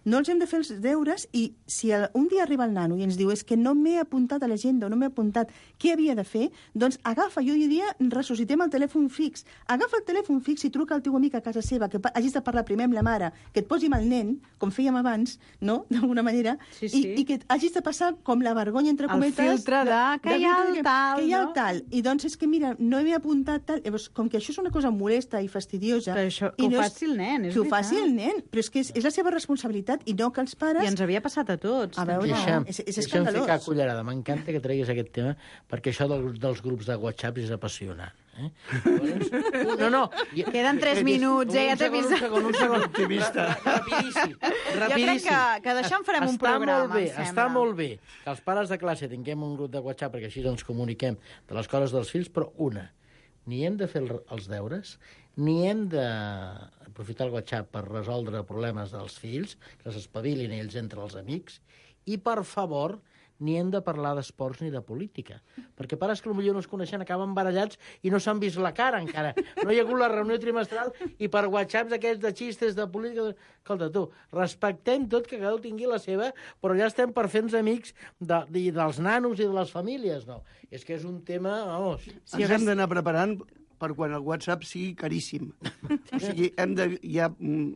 No els hem de fer els deures i si el, un dia arriba el nano i ens diu és que no m'he apuntat a l'agenda o no m'he apuntat què havia de fer, doncs agafa, jo diria, ressuscitem el telèfon fix. Agafa el telèfon fix i truca al teu amic a casa seva, que hagis de parlar primer amb la mare, que et posi amb el nen, com fèiem abans, no?, d'alguna manera, sí, sí. I, i que hagis de passar com la vergonya, entre cometes... El filtre de, de que hi ha el tal, que hi ha el no? tal. I doncs és que, mira, no m'he apuntat tal... Llavors, com que això és una cosa molesta i fastidiosa... Que, això, que i no ho faci el nen, és que veritat. ho faci el nen, però és que és, és la seva responsabilitat i no que els pares... I ens havia passat a tots. A veure, deixa'm, és, és deixa'm escandalós. ficar cullerada. M'encanta que treguis aquest tema, perquè això del, dels grups de WhatsApp és apassionant. Eh? No, no. Queden tres minuts, eh? Ja t'he vist. Un segon, un segon. Optimista. Rapidíssim. Jo crec que, que d'això en farem està un programa, molt bé, em sembla. Està molt bé que els pares de classe tinguem un grup de WhatsApp perquè així ens comuniquem de les coses dels fills, però una, ni hem de fer els deures, ni hem d'aprofitar el WhatsApp per resoldre problemes dels fills, que s'espavilin ells entre els amics, i, per favor, ni hem de parlar d'esports ni de política. Perquè pares que potser no es coneixen acaben barallats i no s'han vist la cara encara. No hi ha hagut la reunió trimestral i per whatsapps aquests de xistes de política... Escolta, tu, respectem tot, que cada un tingui la seva, però ja estem per fer-nos amics de, de, dels nanos i de les famílies, no? És que és un tema... Vamos. Sí, ens hem d'anar preparant per quan el WhatsApp sigui caríssim. O sigui, hem de, ja,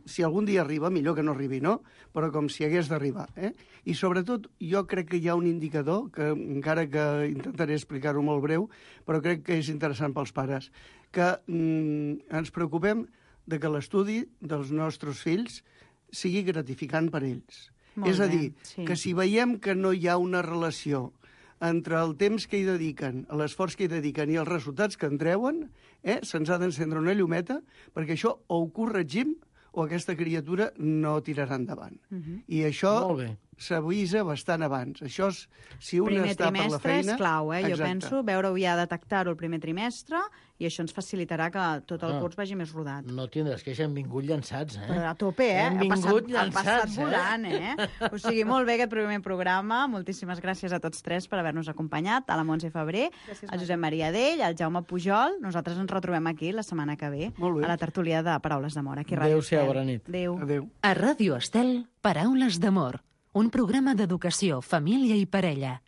si algun dia arriba, millor que no arribi, no? Però com si hagués d'arribar. Eh? I sobretot, jo crec que hi ha un indicador, que encara que intentaré explicar-ho molt breu, però crec que és interessant pels pares, que mm, ens preocupem de que l'estudi dels nostres fills sigui gratificant per ells. Molt és a bé, dir, sí. que si veiem que no hi ha una relació entre el temps que hi dediquen, l'esforç que hi dediquen i els resultats que en treuen, eh, se'ns ha d'encendre una llumeta, perquè això o ho corregim o aquesta criatura no tirarà endavant. Uh-huh. I això s'avisa bastant abans. Això, és, si un primer està per la feina... és clau, eh? Jo exacte. penso, veure-ho ja, detectar-ho el primer trimestre, i això ens facilitarà que tot el Ah. curs vagi més rodat. No tindràs que ja hem vingut llançats, eh? Però a tope, eh? Hem Ha vingut passat, ha llançats, passat eh? volant, eh? O sigui, molt bé aquest primer programa. Moltíssimes gràcies a tots tres per haver-nos acompanyat. A la Montse Febrer, gràcies, al Josep Maria Dell, al Jaume Pujol. Nosaltres ens retrobem aquí la setmana que ve, Molt bé. a la tertúlia de Paraules d'Amor. Aquí a Ràdio Adéu-siau, Estel. bona nit. Adéu. Adéu. A Ràdio Estel, Paraules d'Amor, un programa d'educació, família i parella.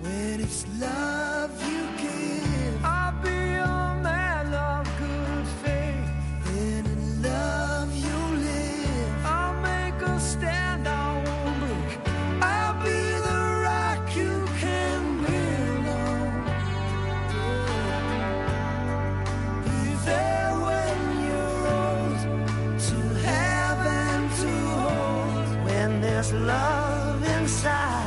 When it's love you give, I'll be a man of good faith. Then in love you live, I'll make a stand, I won't break. I'll be the rock you can build on. Be there when you're old, to have and to hold. When there's love inside,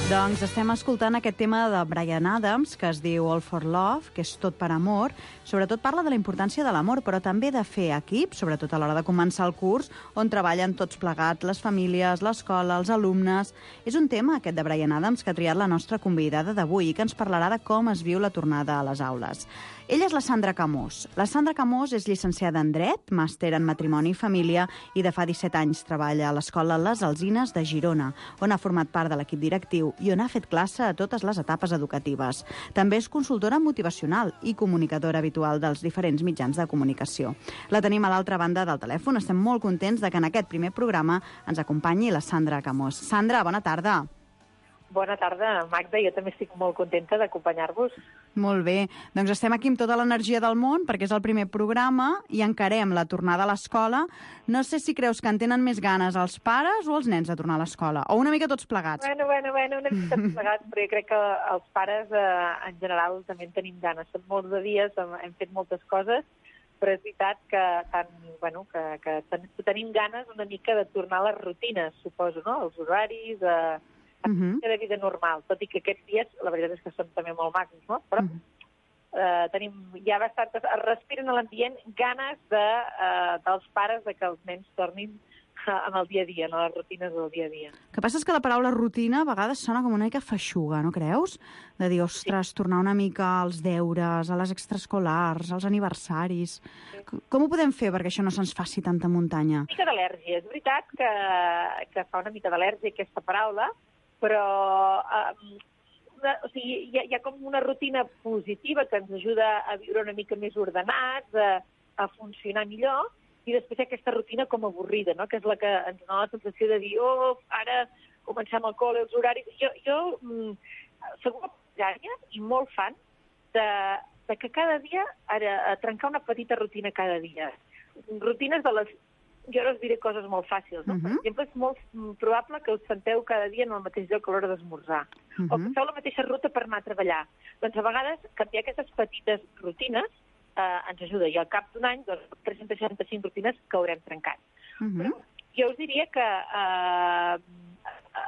Doncs estem escoltant aquest tema de Bryan Adams, que es diu All for Love, que és tot per amor. Sobretot parla de la importància de l'amor, però també de fer equip, sobretot a l'hora de començar el curs, on treballen tots plegats, les famílies, l'escola, els alumnes. És un tema, aquest de Bryan Adams, que ha triat la nostra convidada d'avui i que ens parlarà de com es viu la tornada a les aules. Ella és la Sandra Camós. La Sandra Camós és llicenciada en Dret, màster en Matrimoni i Família i de fa disset anys treballa a l'Escola Les Alzines de Girona, on ha format part de l'equip directiu i on ha fet classe a totes les etapes educatives. També és consultora motivacional i comunicadora habitual dels diferents mitjans de comunicació. La tenim a l'altra banda del telèfon. Estem molt contents de que en aquest primer programa ens acompanyi la Sandra Camós. Sandra, bona tarda. Bona tarda, Magda. Jo també estic molt contenta d'acompanyar-vos. Molt bé. Doncs estem aquí amb tota l'energia del món, perquè és el primer programa i encarem la tornada a l'escola. No sé si creus que en tenen més ganes els pares o els nens de tornar a l'escola, o una mica tots plegats. Bueno, bueno, bueno, una mica tots plegats, però jo crec que els pares, eh, en general, també en tenim ganes. Són molts de dies, hem, hem fet moltes coses, però és veritat que, tant, bueno, que, que ten, tenim ganes una mica de tornar a les rutines, suposo, no? Els horaris, eh, Uh-huh. de vida normal, tot i que aquests dies la veritat és que són també molt macos, no? Però uh-huh. eh, tenim ja bastantes, es respiren a l'ambient ganes de, eh, dels pares de que els nens tornin eh, en el dia a dia, no? Les rutines del dia a dia. El que passa és que la paraula rutina a vegades sona com una mica feixuga, no creus? De dir, ostres, sí. tornar una mica als deures, a les extraescolars, als aniversaris... Sí. Com ho podem fer perquè això no se'ns faci tanta muntanya? Una mica d'al·lèrgia. És veritat que, que fa una mica d'al·lèrgia aquesta paraula, però eh, una, o sigui, hi, ha, hi ha com una rutina positiva que ens ajuda a viure una mica més ordenats, a, a funcionar millor, i després hi ha aquesta rutina com avorrida, no? Que és la que ens dona la sensació de dir, oh, ara comencem el col·le, els horaris... Jo, jo mm, segur que i molt fan de, de que cada dia ara, a trencar una petita rutina cada dia. Rutines de les... Jo ara us diré coses molt fàcils, no? Uh-huh. Per exemple, és molt probable que us senteu cada dia en el mateix lloc a l'hora d'esmorzar, uh-huh. o que feu la mateixa ruta per anar a treballar. Doncs a vegades canviar aquestes petites rutines eh, ens ajuda, i al cap d'un any, doncs, tres-centes seixanta-cinc rutines que haurem trencat. Uh-huh. Però jo us diria que eh, eh,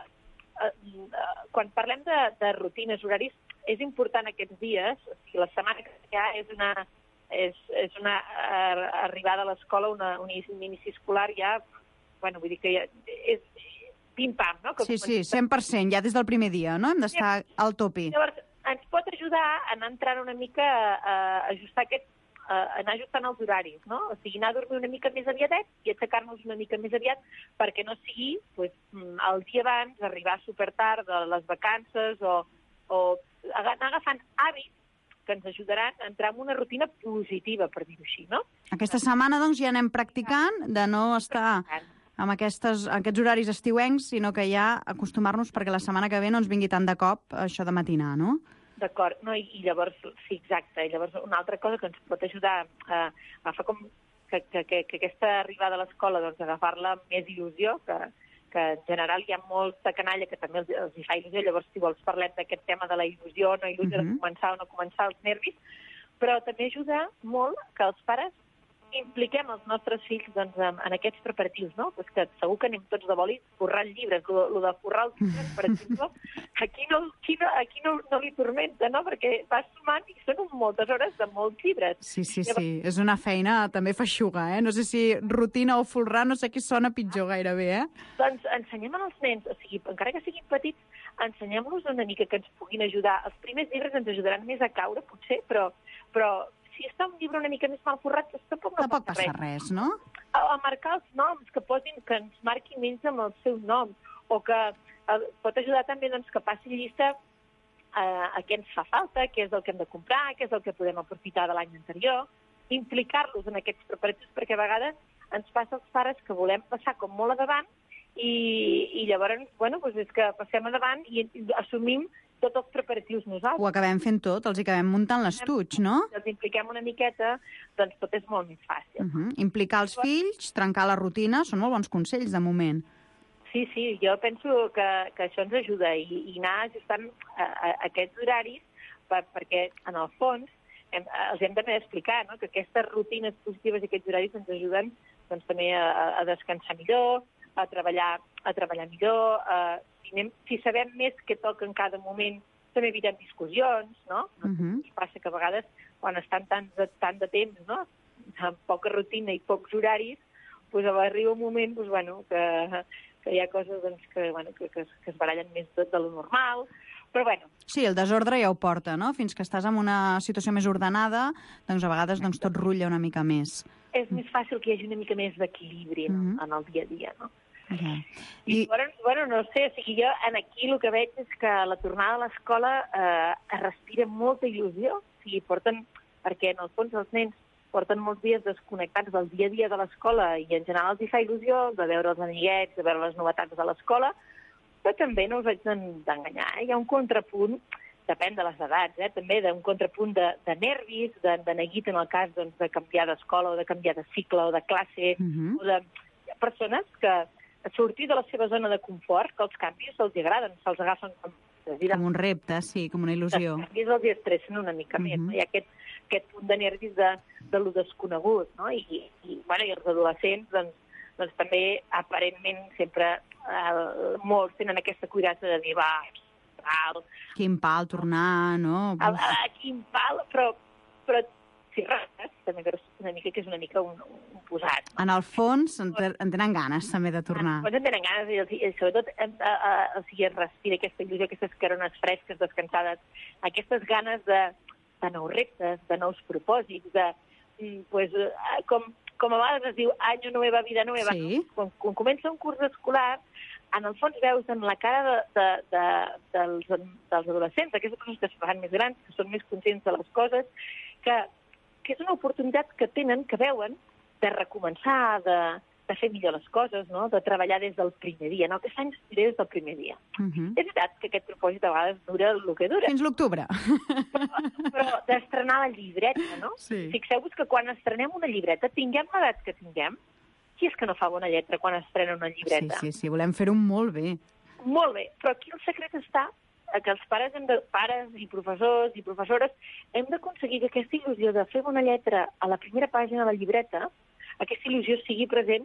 eh, eh, quan parlem de, de rutines, horaris, és important aquests dies, o sigui, la setmana que hi ha és una... és, és una uh, arribada a l'escola, una, un inici escolar ja, bueno, vull dir que ja és pim-pam, no? Que sí, sí, cent per cent, ja des del primer dia, no? Hem d'estar sí. al topi. Llavors, ens pot ajudar a anar entrant una mica a ajustar aquest, a anar ajustant els horaris, no? O sigui, anar a dormir una mica més aviadet i aixecar-nos una mica més aviat perquè no sigui, pues, el dia abans, arribar supertard de les vacances o, o anar agafant hàbits que ens ajudaran a entrar en una rutina positiva, per dir-ho així, no? Aquesta setmana, doncs, ja anem practicant de no estar amb aquestes, aquests horaris estiuencs, sinó que ja acostumar-nos perquè la setmana que ve no ens vingui tant de cop això de matinar, no? D'acord, no, i, i llavors, sí, exacte, i llavors una altra cosa que ens pot ajudar a agafar com que, que, que, que aquesta arribada a l'escola, doncs, agafar-la amb més il·lusió, que que en general hi ha molta canalla que també els, els hi fa il·lusió, llavors si vols parlem d'aquest tema de la il·lusió, no il·lusió uh-huh. de començar o no començar, els nervis, però també ajuda molt que els pares impliquem els nostres fills doncs, en, en aquests preparatius, no? Pues que segur que anem tots de boli forrant llibres, el de forrar els llibres, per exemple, aquí, no, aquí, no, aquí no, no li tormenta, no? Perquè vas sumant i són moltes hores de molts llibres. Sí, sí, Llavors... sí, és una feina també feixuga, eh? No sé si rutina o folrar, no sé qui sona pitjor gairebé, eh? Doncs ensenyem als nens, o sigui, encara que siguin petits, ensenyem-los una mica que ens puguin ajudar. Els primers llibres ens ajudaran més a caure, potser, però, però si està un llibre una mica més mal forrat, tampoc no tampoc passa res, res, no? A, a marcar els noms, que posin, que ens marquin ells amb el seu nom, o que a, pot ajudar també doncs, que passi llista a, a què ens fa falta, què és el que hem de comprar, què és el que podem aprofitar de l'any anterior, implicar-los en aquests preparatius, perquè a vegades ens passa als pares que volem passar com molt a davant i, i llavors, bueno, doncs és que passem a davant i, i assumim tots els preparatius nosaltres. Ho acabem fent tot, els acabem muntant l'estuig, no? Si els impliquem una miqueta, doncs tot és molt més fàcil. Uh -huh. Implicar els fills, trencar la rutina, són molt bons consells, de moment. Sí, sí, jo penso que, que això ens ajuda i, i anar ajustant a, a, a aquests horaris per, perquè, en el fons, hem, els hem també d'explicar, no?, que aquestes rutines positives i aquests horaris ens ajuden doncs, també a, a descansar millor, a treballar a treballar millor, eh, si, anem, si sabem més què toca en cada moment, també evitem discussions, no? Uh -huh. Ens passa que a vegades, quan estan tant de, tant de temps, no?, amb poca rutina i pocs horaris, doncs arriba un moment doncs, bueno, que, que hi ha coses doncs, que, bueno, que, que, que es barallen més de, de lo normal, però bueno. Sí, el desordre ja ho porta, no? Fins que estàs en una situació més ordenada, doncs a vegades doncs, tot rutlla una mica més. És més fàcil que hi hagi una mica més d'equilibri, no? Uh-huh. en el dia a dia, no? Uh-huh. I, I bueno, bueno, no sé, o sigui, jo en aquí el que veig és que la tornada a l'escola eh, es respira molta il·lusió, o sigui, porten, perquè en el fons els nens porten molts dies desconnectats del dia a dia de l'escola i en general els hi fa il·lusió de veure els amiguets, de veure les novetats de l'escola, però també no us haig d'enganyar. Eh? Hi ha un contrapunt, depèn de les edats, eh? també d'un contrapunt de, de nervis, de, de neguit en el cas doncs, de canviar d'escola o de canviar de cicle o de classe, uh-huh. o de hi ha persones que sortir de la seva zona de confort, que els canvis els agraden, se'ls agafen com... Com un repte, sí, com una il·lusió. Els canvis els estressen una mica uh-huh. més, no? Hi ha aquest, aquest punt de nervis de, de lo desconegut, no? I, i, bueno, i els adolescents, doncs, doncs també, aparentment, sempre eh, molts tenen aquesta cuidassa de dir, va, pal... Quin pal tornar, no? A, a, quin pal, però, però si rates, també veus una mica que és una mica un, un posat. No? En el fons en, te, en tenen ganes també de tornar. En el fons en tenen ganes i, i sobretot a, a, a, o sigui, es respira aquesta il·lusió, aquestes carones fresques, descansades, aquestes ganes de, de nous reptes, de nous propòsits, de, pues, com, com a vegades es diu año nueva, vida nueva, sí. no? quan, quan comença un curs escolar, en el fons veus en la cara de, de, de, dels, dels adolescents, aquestes persones que es fan més grans, que són més conscients de les coses, que que és una oportunitat que tenen, que veuen, de recomençar, de, de fer millor les coses, no? De treballar des del primer dia. No? Aquest any des del primer dia. Uh-huh. És veritat que aquest propòsit a vegades dura el que dura. Fins l'octubre. Però, però d'estrenar la llibreta, no? Sí. Fixeu-vos que quan estrenem una llibreta, tinguem l'edat que tinguem, qui és que no fa bona lletra quan estrena una llibreta? Sí, sí, sí, volem fer-ho molt bé. Molt bé, però aquí el secret està que els pares, hem de, pares i professors i professores hem d'aconseguir que aquesta il·lusió de fer bona lletra a la primera pàgina de la llibreta, aquesta il·lusió sigui present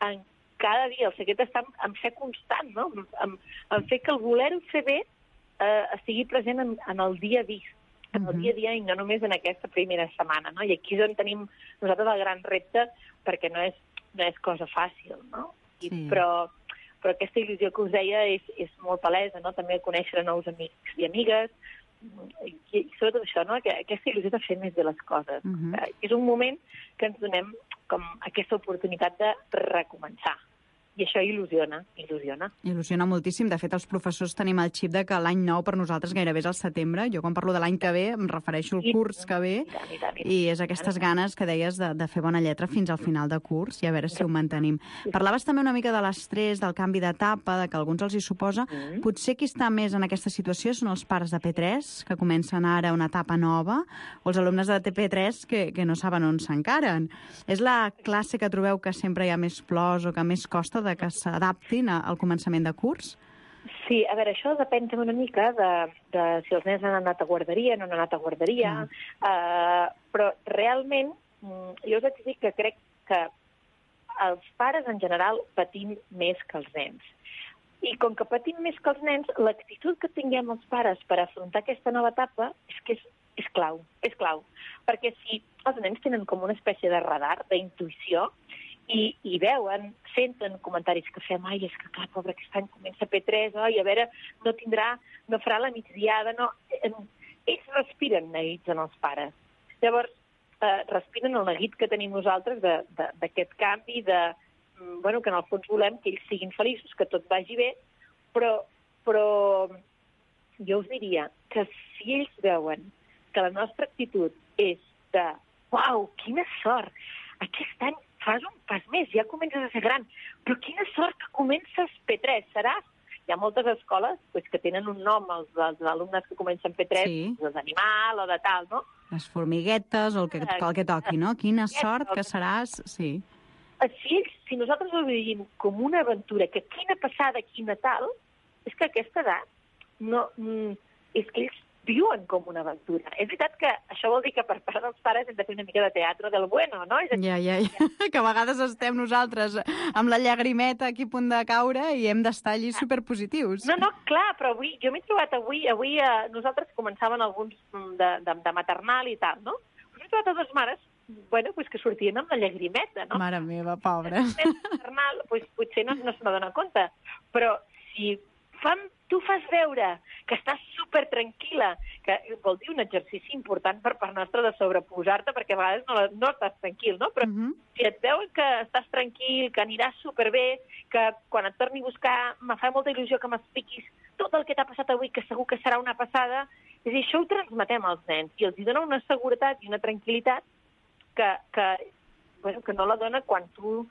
en cada dia. El secret està en, en ser constant, no? en, en fer que el voler-ho fer bé eh, estigui present en, en el dia a dia, en el dia a dia i no només en aquesta primera setmana. No? I aquí és on tenim nosaltres el gran repte, perquè no és, no és cosa fàcil, no? I, sí. però... però aquesta il·lusió que us deia és, és molt palesa, no? També conèixer nous amics i amigues, i, i sobretot això, no? Que, aquesta il·lusió de fer més bé les coses. Uh-huh. És un moment que ens donem com aquesta oportunitat de recomençar. I això il·lusiona, il·lusiona. Il·lusiona moltíssim. De fet, els professors tenim el xip de que l'any nou per nosaltres gairebé és el setembre. Jo quan parlo de l'any que ve em refereixo al curs que ve i, tant, i, tant, i, tant. I és aquestes ganes que deies de, de fer bona lletra fins al final de curs i a veure si ho mantenim. Parlaves també una mica de l'estrès, del canvi d'etapa, de que alguns els hi suposa. Mm. Potser qui està més en aquesta situació són els pares de P tres, que comencen ara una etapa nova, o els alumnes de T P tres que, que no saben on s'encaren. És la classe que trobeu que sempre hi ha més plors o que més costa de que s'adaptin al començament de curs? Sí, a veure, això depèn una mica de, de si els nens han anat a guarderia, no han anat a guarderia, mm. uh, però realment jo us haig de dir que crec que els pares en general patim més que els nens. I com que patim més que els nens, l'actitud que tinguem els pares per afrontar aquesta nova etapa és que és, és clau, és clau. Perquè si els nens tenen com una espècie de radar, d'intuïció, I, i veuen, senten comentaris que fem, ai, és que clar, pobre, aquest any comença P tres, oi, a veure, no tindrà, no farà la migdiada, no... Ells respiren neguits en els pares. Llavors, eh, respiren el neguit que tenim nosaltres d'aquest canvi, de, bueno, que en el fons volem que ells siguin feliços, que tot vagi bé, però, però jo us diria que si ells veuen que la nostra actitud és de, uau, quina sort, aquest any fas un pas més, ja comences a ser gran, però quina sort que comences P tres, seràs? Hi ha moltes escoles pues, que tenen un nom, els, els alumnes que comencen P tres, sí. doncs d'animal o de tal, no? Les formiguetes o el que, el que toqui, no? Quina sort que seràs, sí. Si, ells, si nosaltres ho vivim com una aventura, que quina passada, quina tal, és que a aquesta edat no, és que ells viuen com una aventura. És veritat que això vol dir que per part dels pares hem de fer una mica de teatre del bueno, no? És ja, ja, ja. Que a vegades estem nosaltres amb la llagrimeta aquí a punt de caure i hem d'estar allí superpositius. No, no, clar, però avui, jo m'he trobat avui, avui eh, nosaltres començaven alguns de, de, de maternal i tal, no? M'he trobat a dues mares, bueno, pues que sortien amb la llagrimeta, no? Mare meva, pobra. Maternal, pues, potser no, no se n'adona compte, però si fan, tu fas veure que estàs super tranquil·la, que vol dir un exercici important per part nostra de sobreposar-te, perquè a vegades no, no estàs tranquil, no? Però uh-huh. si et veuen que estàs tranquil, que aniràs superbé, que quan et torni a buscar me fa molta il·lusió que m'expliquis tot el que t'ha passat avui, que segur que serà una passada, és a dir, això ho transmetem als nens i els hi dona una seguretat i una tranquil·litat que, que, bueno, que no la dona quan tu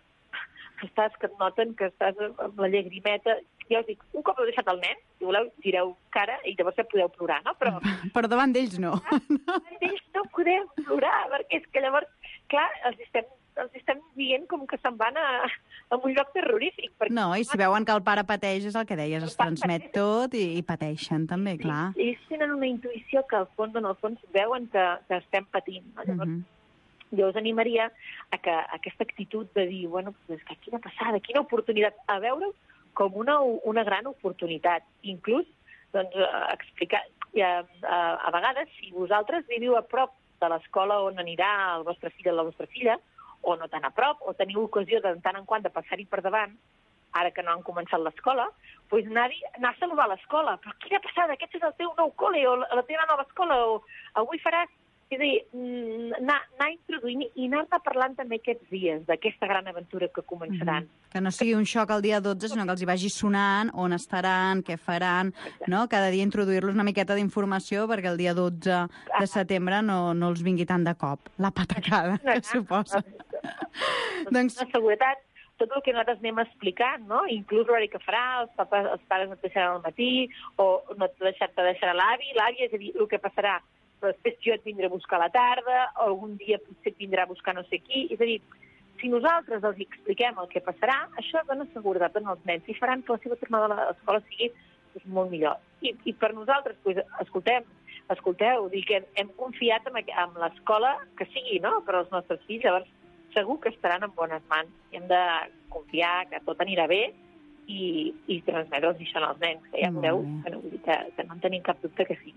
estàs, que et noten que estàs amb la llagrimeta. Ja us dic, un cop heu deixat el nen, si voleu, tireu cara i llavors ja podeu plorar, no? Però, Però davant d'ells no. Davant d'ells no podem plorar, perquè és que llavors, clar, els estem, els estem dient com que se'n van a, a un lloc terrorífic. Perquè... No, i si veuen que el pare pateix, és el que deies, es transmet tot i, i pateixen també, clar. Sí, ells tenen una intuïció que al fons, en el fons, veuen que, que estem patint. No? Llavors, uh-huh. jo us animaria a que aquesta actitud de dir, bueno, pues, que quina passada, quina oportunitat, a veure com una, una gran oportunitat. Inclús, doncs, explicar... A, a, a vegades, si vosaltres viviu a prop de l'escola on anirà el vostre fill o la vostra filla, o no tan a prop, o teniu ocasió de tant en quant de passar-hi per davant, ara que no han començat l'escola, doncs anar, anar a saludar a l'escola. Però quina passada, aquest és el teu nou col·le, o la teva nova escola, o avui faràs... És a dir, anar, anar introduint i anar-ne parlant també aquests dies d'aquesta gran aventura que començaran. Mm-hmm. Que no sigui un xoc el dia dotze, sinó que els hi vagi sonant on estaran, què faran, no? Cada dia introduir-los una miqueta d'informació perquè el dia dotze de setembre no, no els vingui tant de cop la patacada que suposa. Doncs la seguretat, tot el que nosaltres anem explicant, no? Inclús l'horari que farà, els, papas, els pares no et deixaran al matí, o no te deixarà, te deixarà l'avi, l'àvia, és a dir, el que passarà. Però després jo et vindré a buscar a la tarda, o algun dia potser et vindrà a buscar no sé qui. És a dir, si nosaltres els expliquem el que passarà, això dona seguretat als nens i faran que la seva tornada a l'escola sigui doncs, molt millor. I, i per nosaltres, doncs, escoltem, escolteu, dir que hem, hem confiat en, en l'escola que sigui, no?, per als nostres fills, llavors segur que estaran en bones mans. I hem de confiar que tot anirà bé i, i transmetre'ls això als nens, que ja veureu que no, que, que no en tenim cap dubte que sí.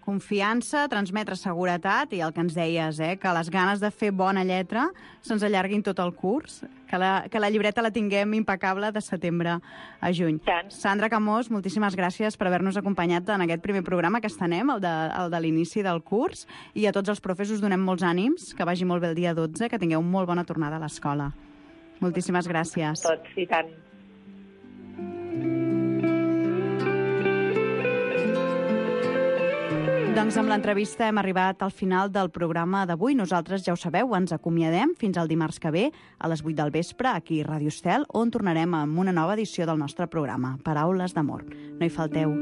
Confiança, transmetre seguretat i el que ens deies, eh, que les ganes de fer bona lletra se'ns allarguin tot el curs, que la, que la llibreta la tinguem impecable de setembre a juny. Tant. Sandra Camós, moltíssimes gràcies per haver-nos acompanyat en aquest primer programa que estenem, el de, el de l'inici del curs, i a tots els profes us donem molts ànims, que vagi molt bé el dia dotze, que tingueu molt bona tornada a l'escola. Moltíssimes gràcies. Tots, i tant. Doncs amb l'entrevista hem arribat al final del programa d'avui. Nosaltres, ja ho sabeu, ens acomiadem fins al dimarts que ve a les vuit del vespre aquí a Ràdio Estel, on tornarem amb una nova edició del nostre programa, Paraules d'amor. No hi falteu.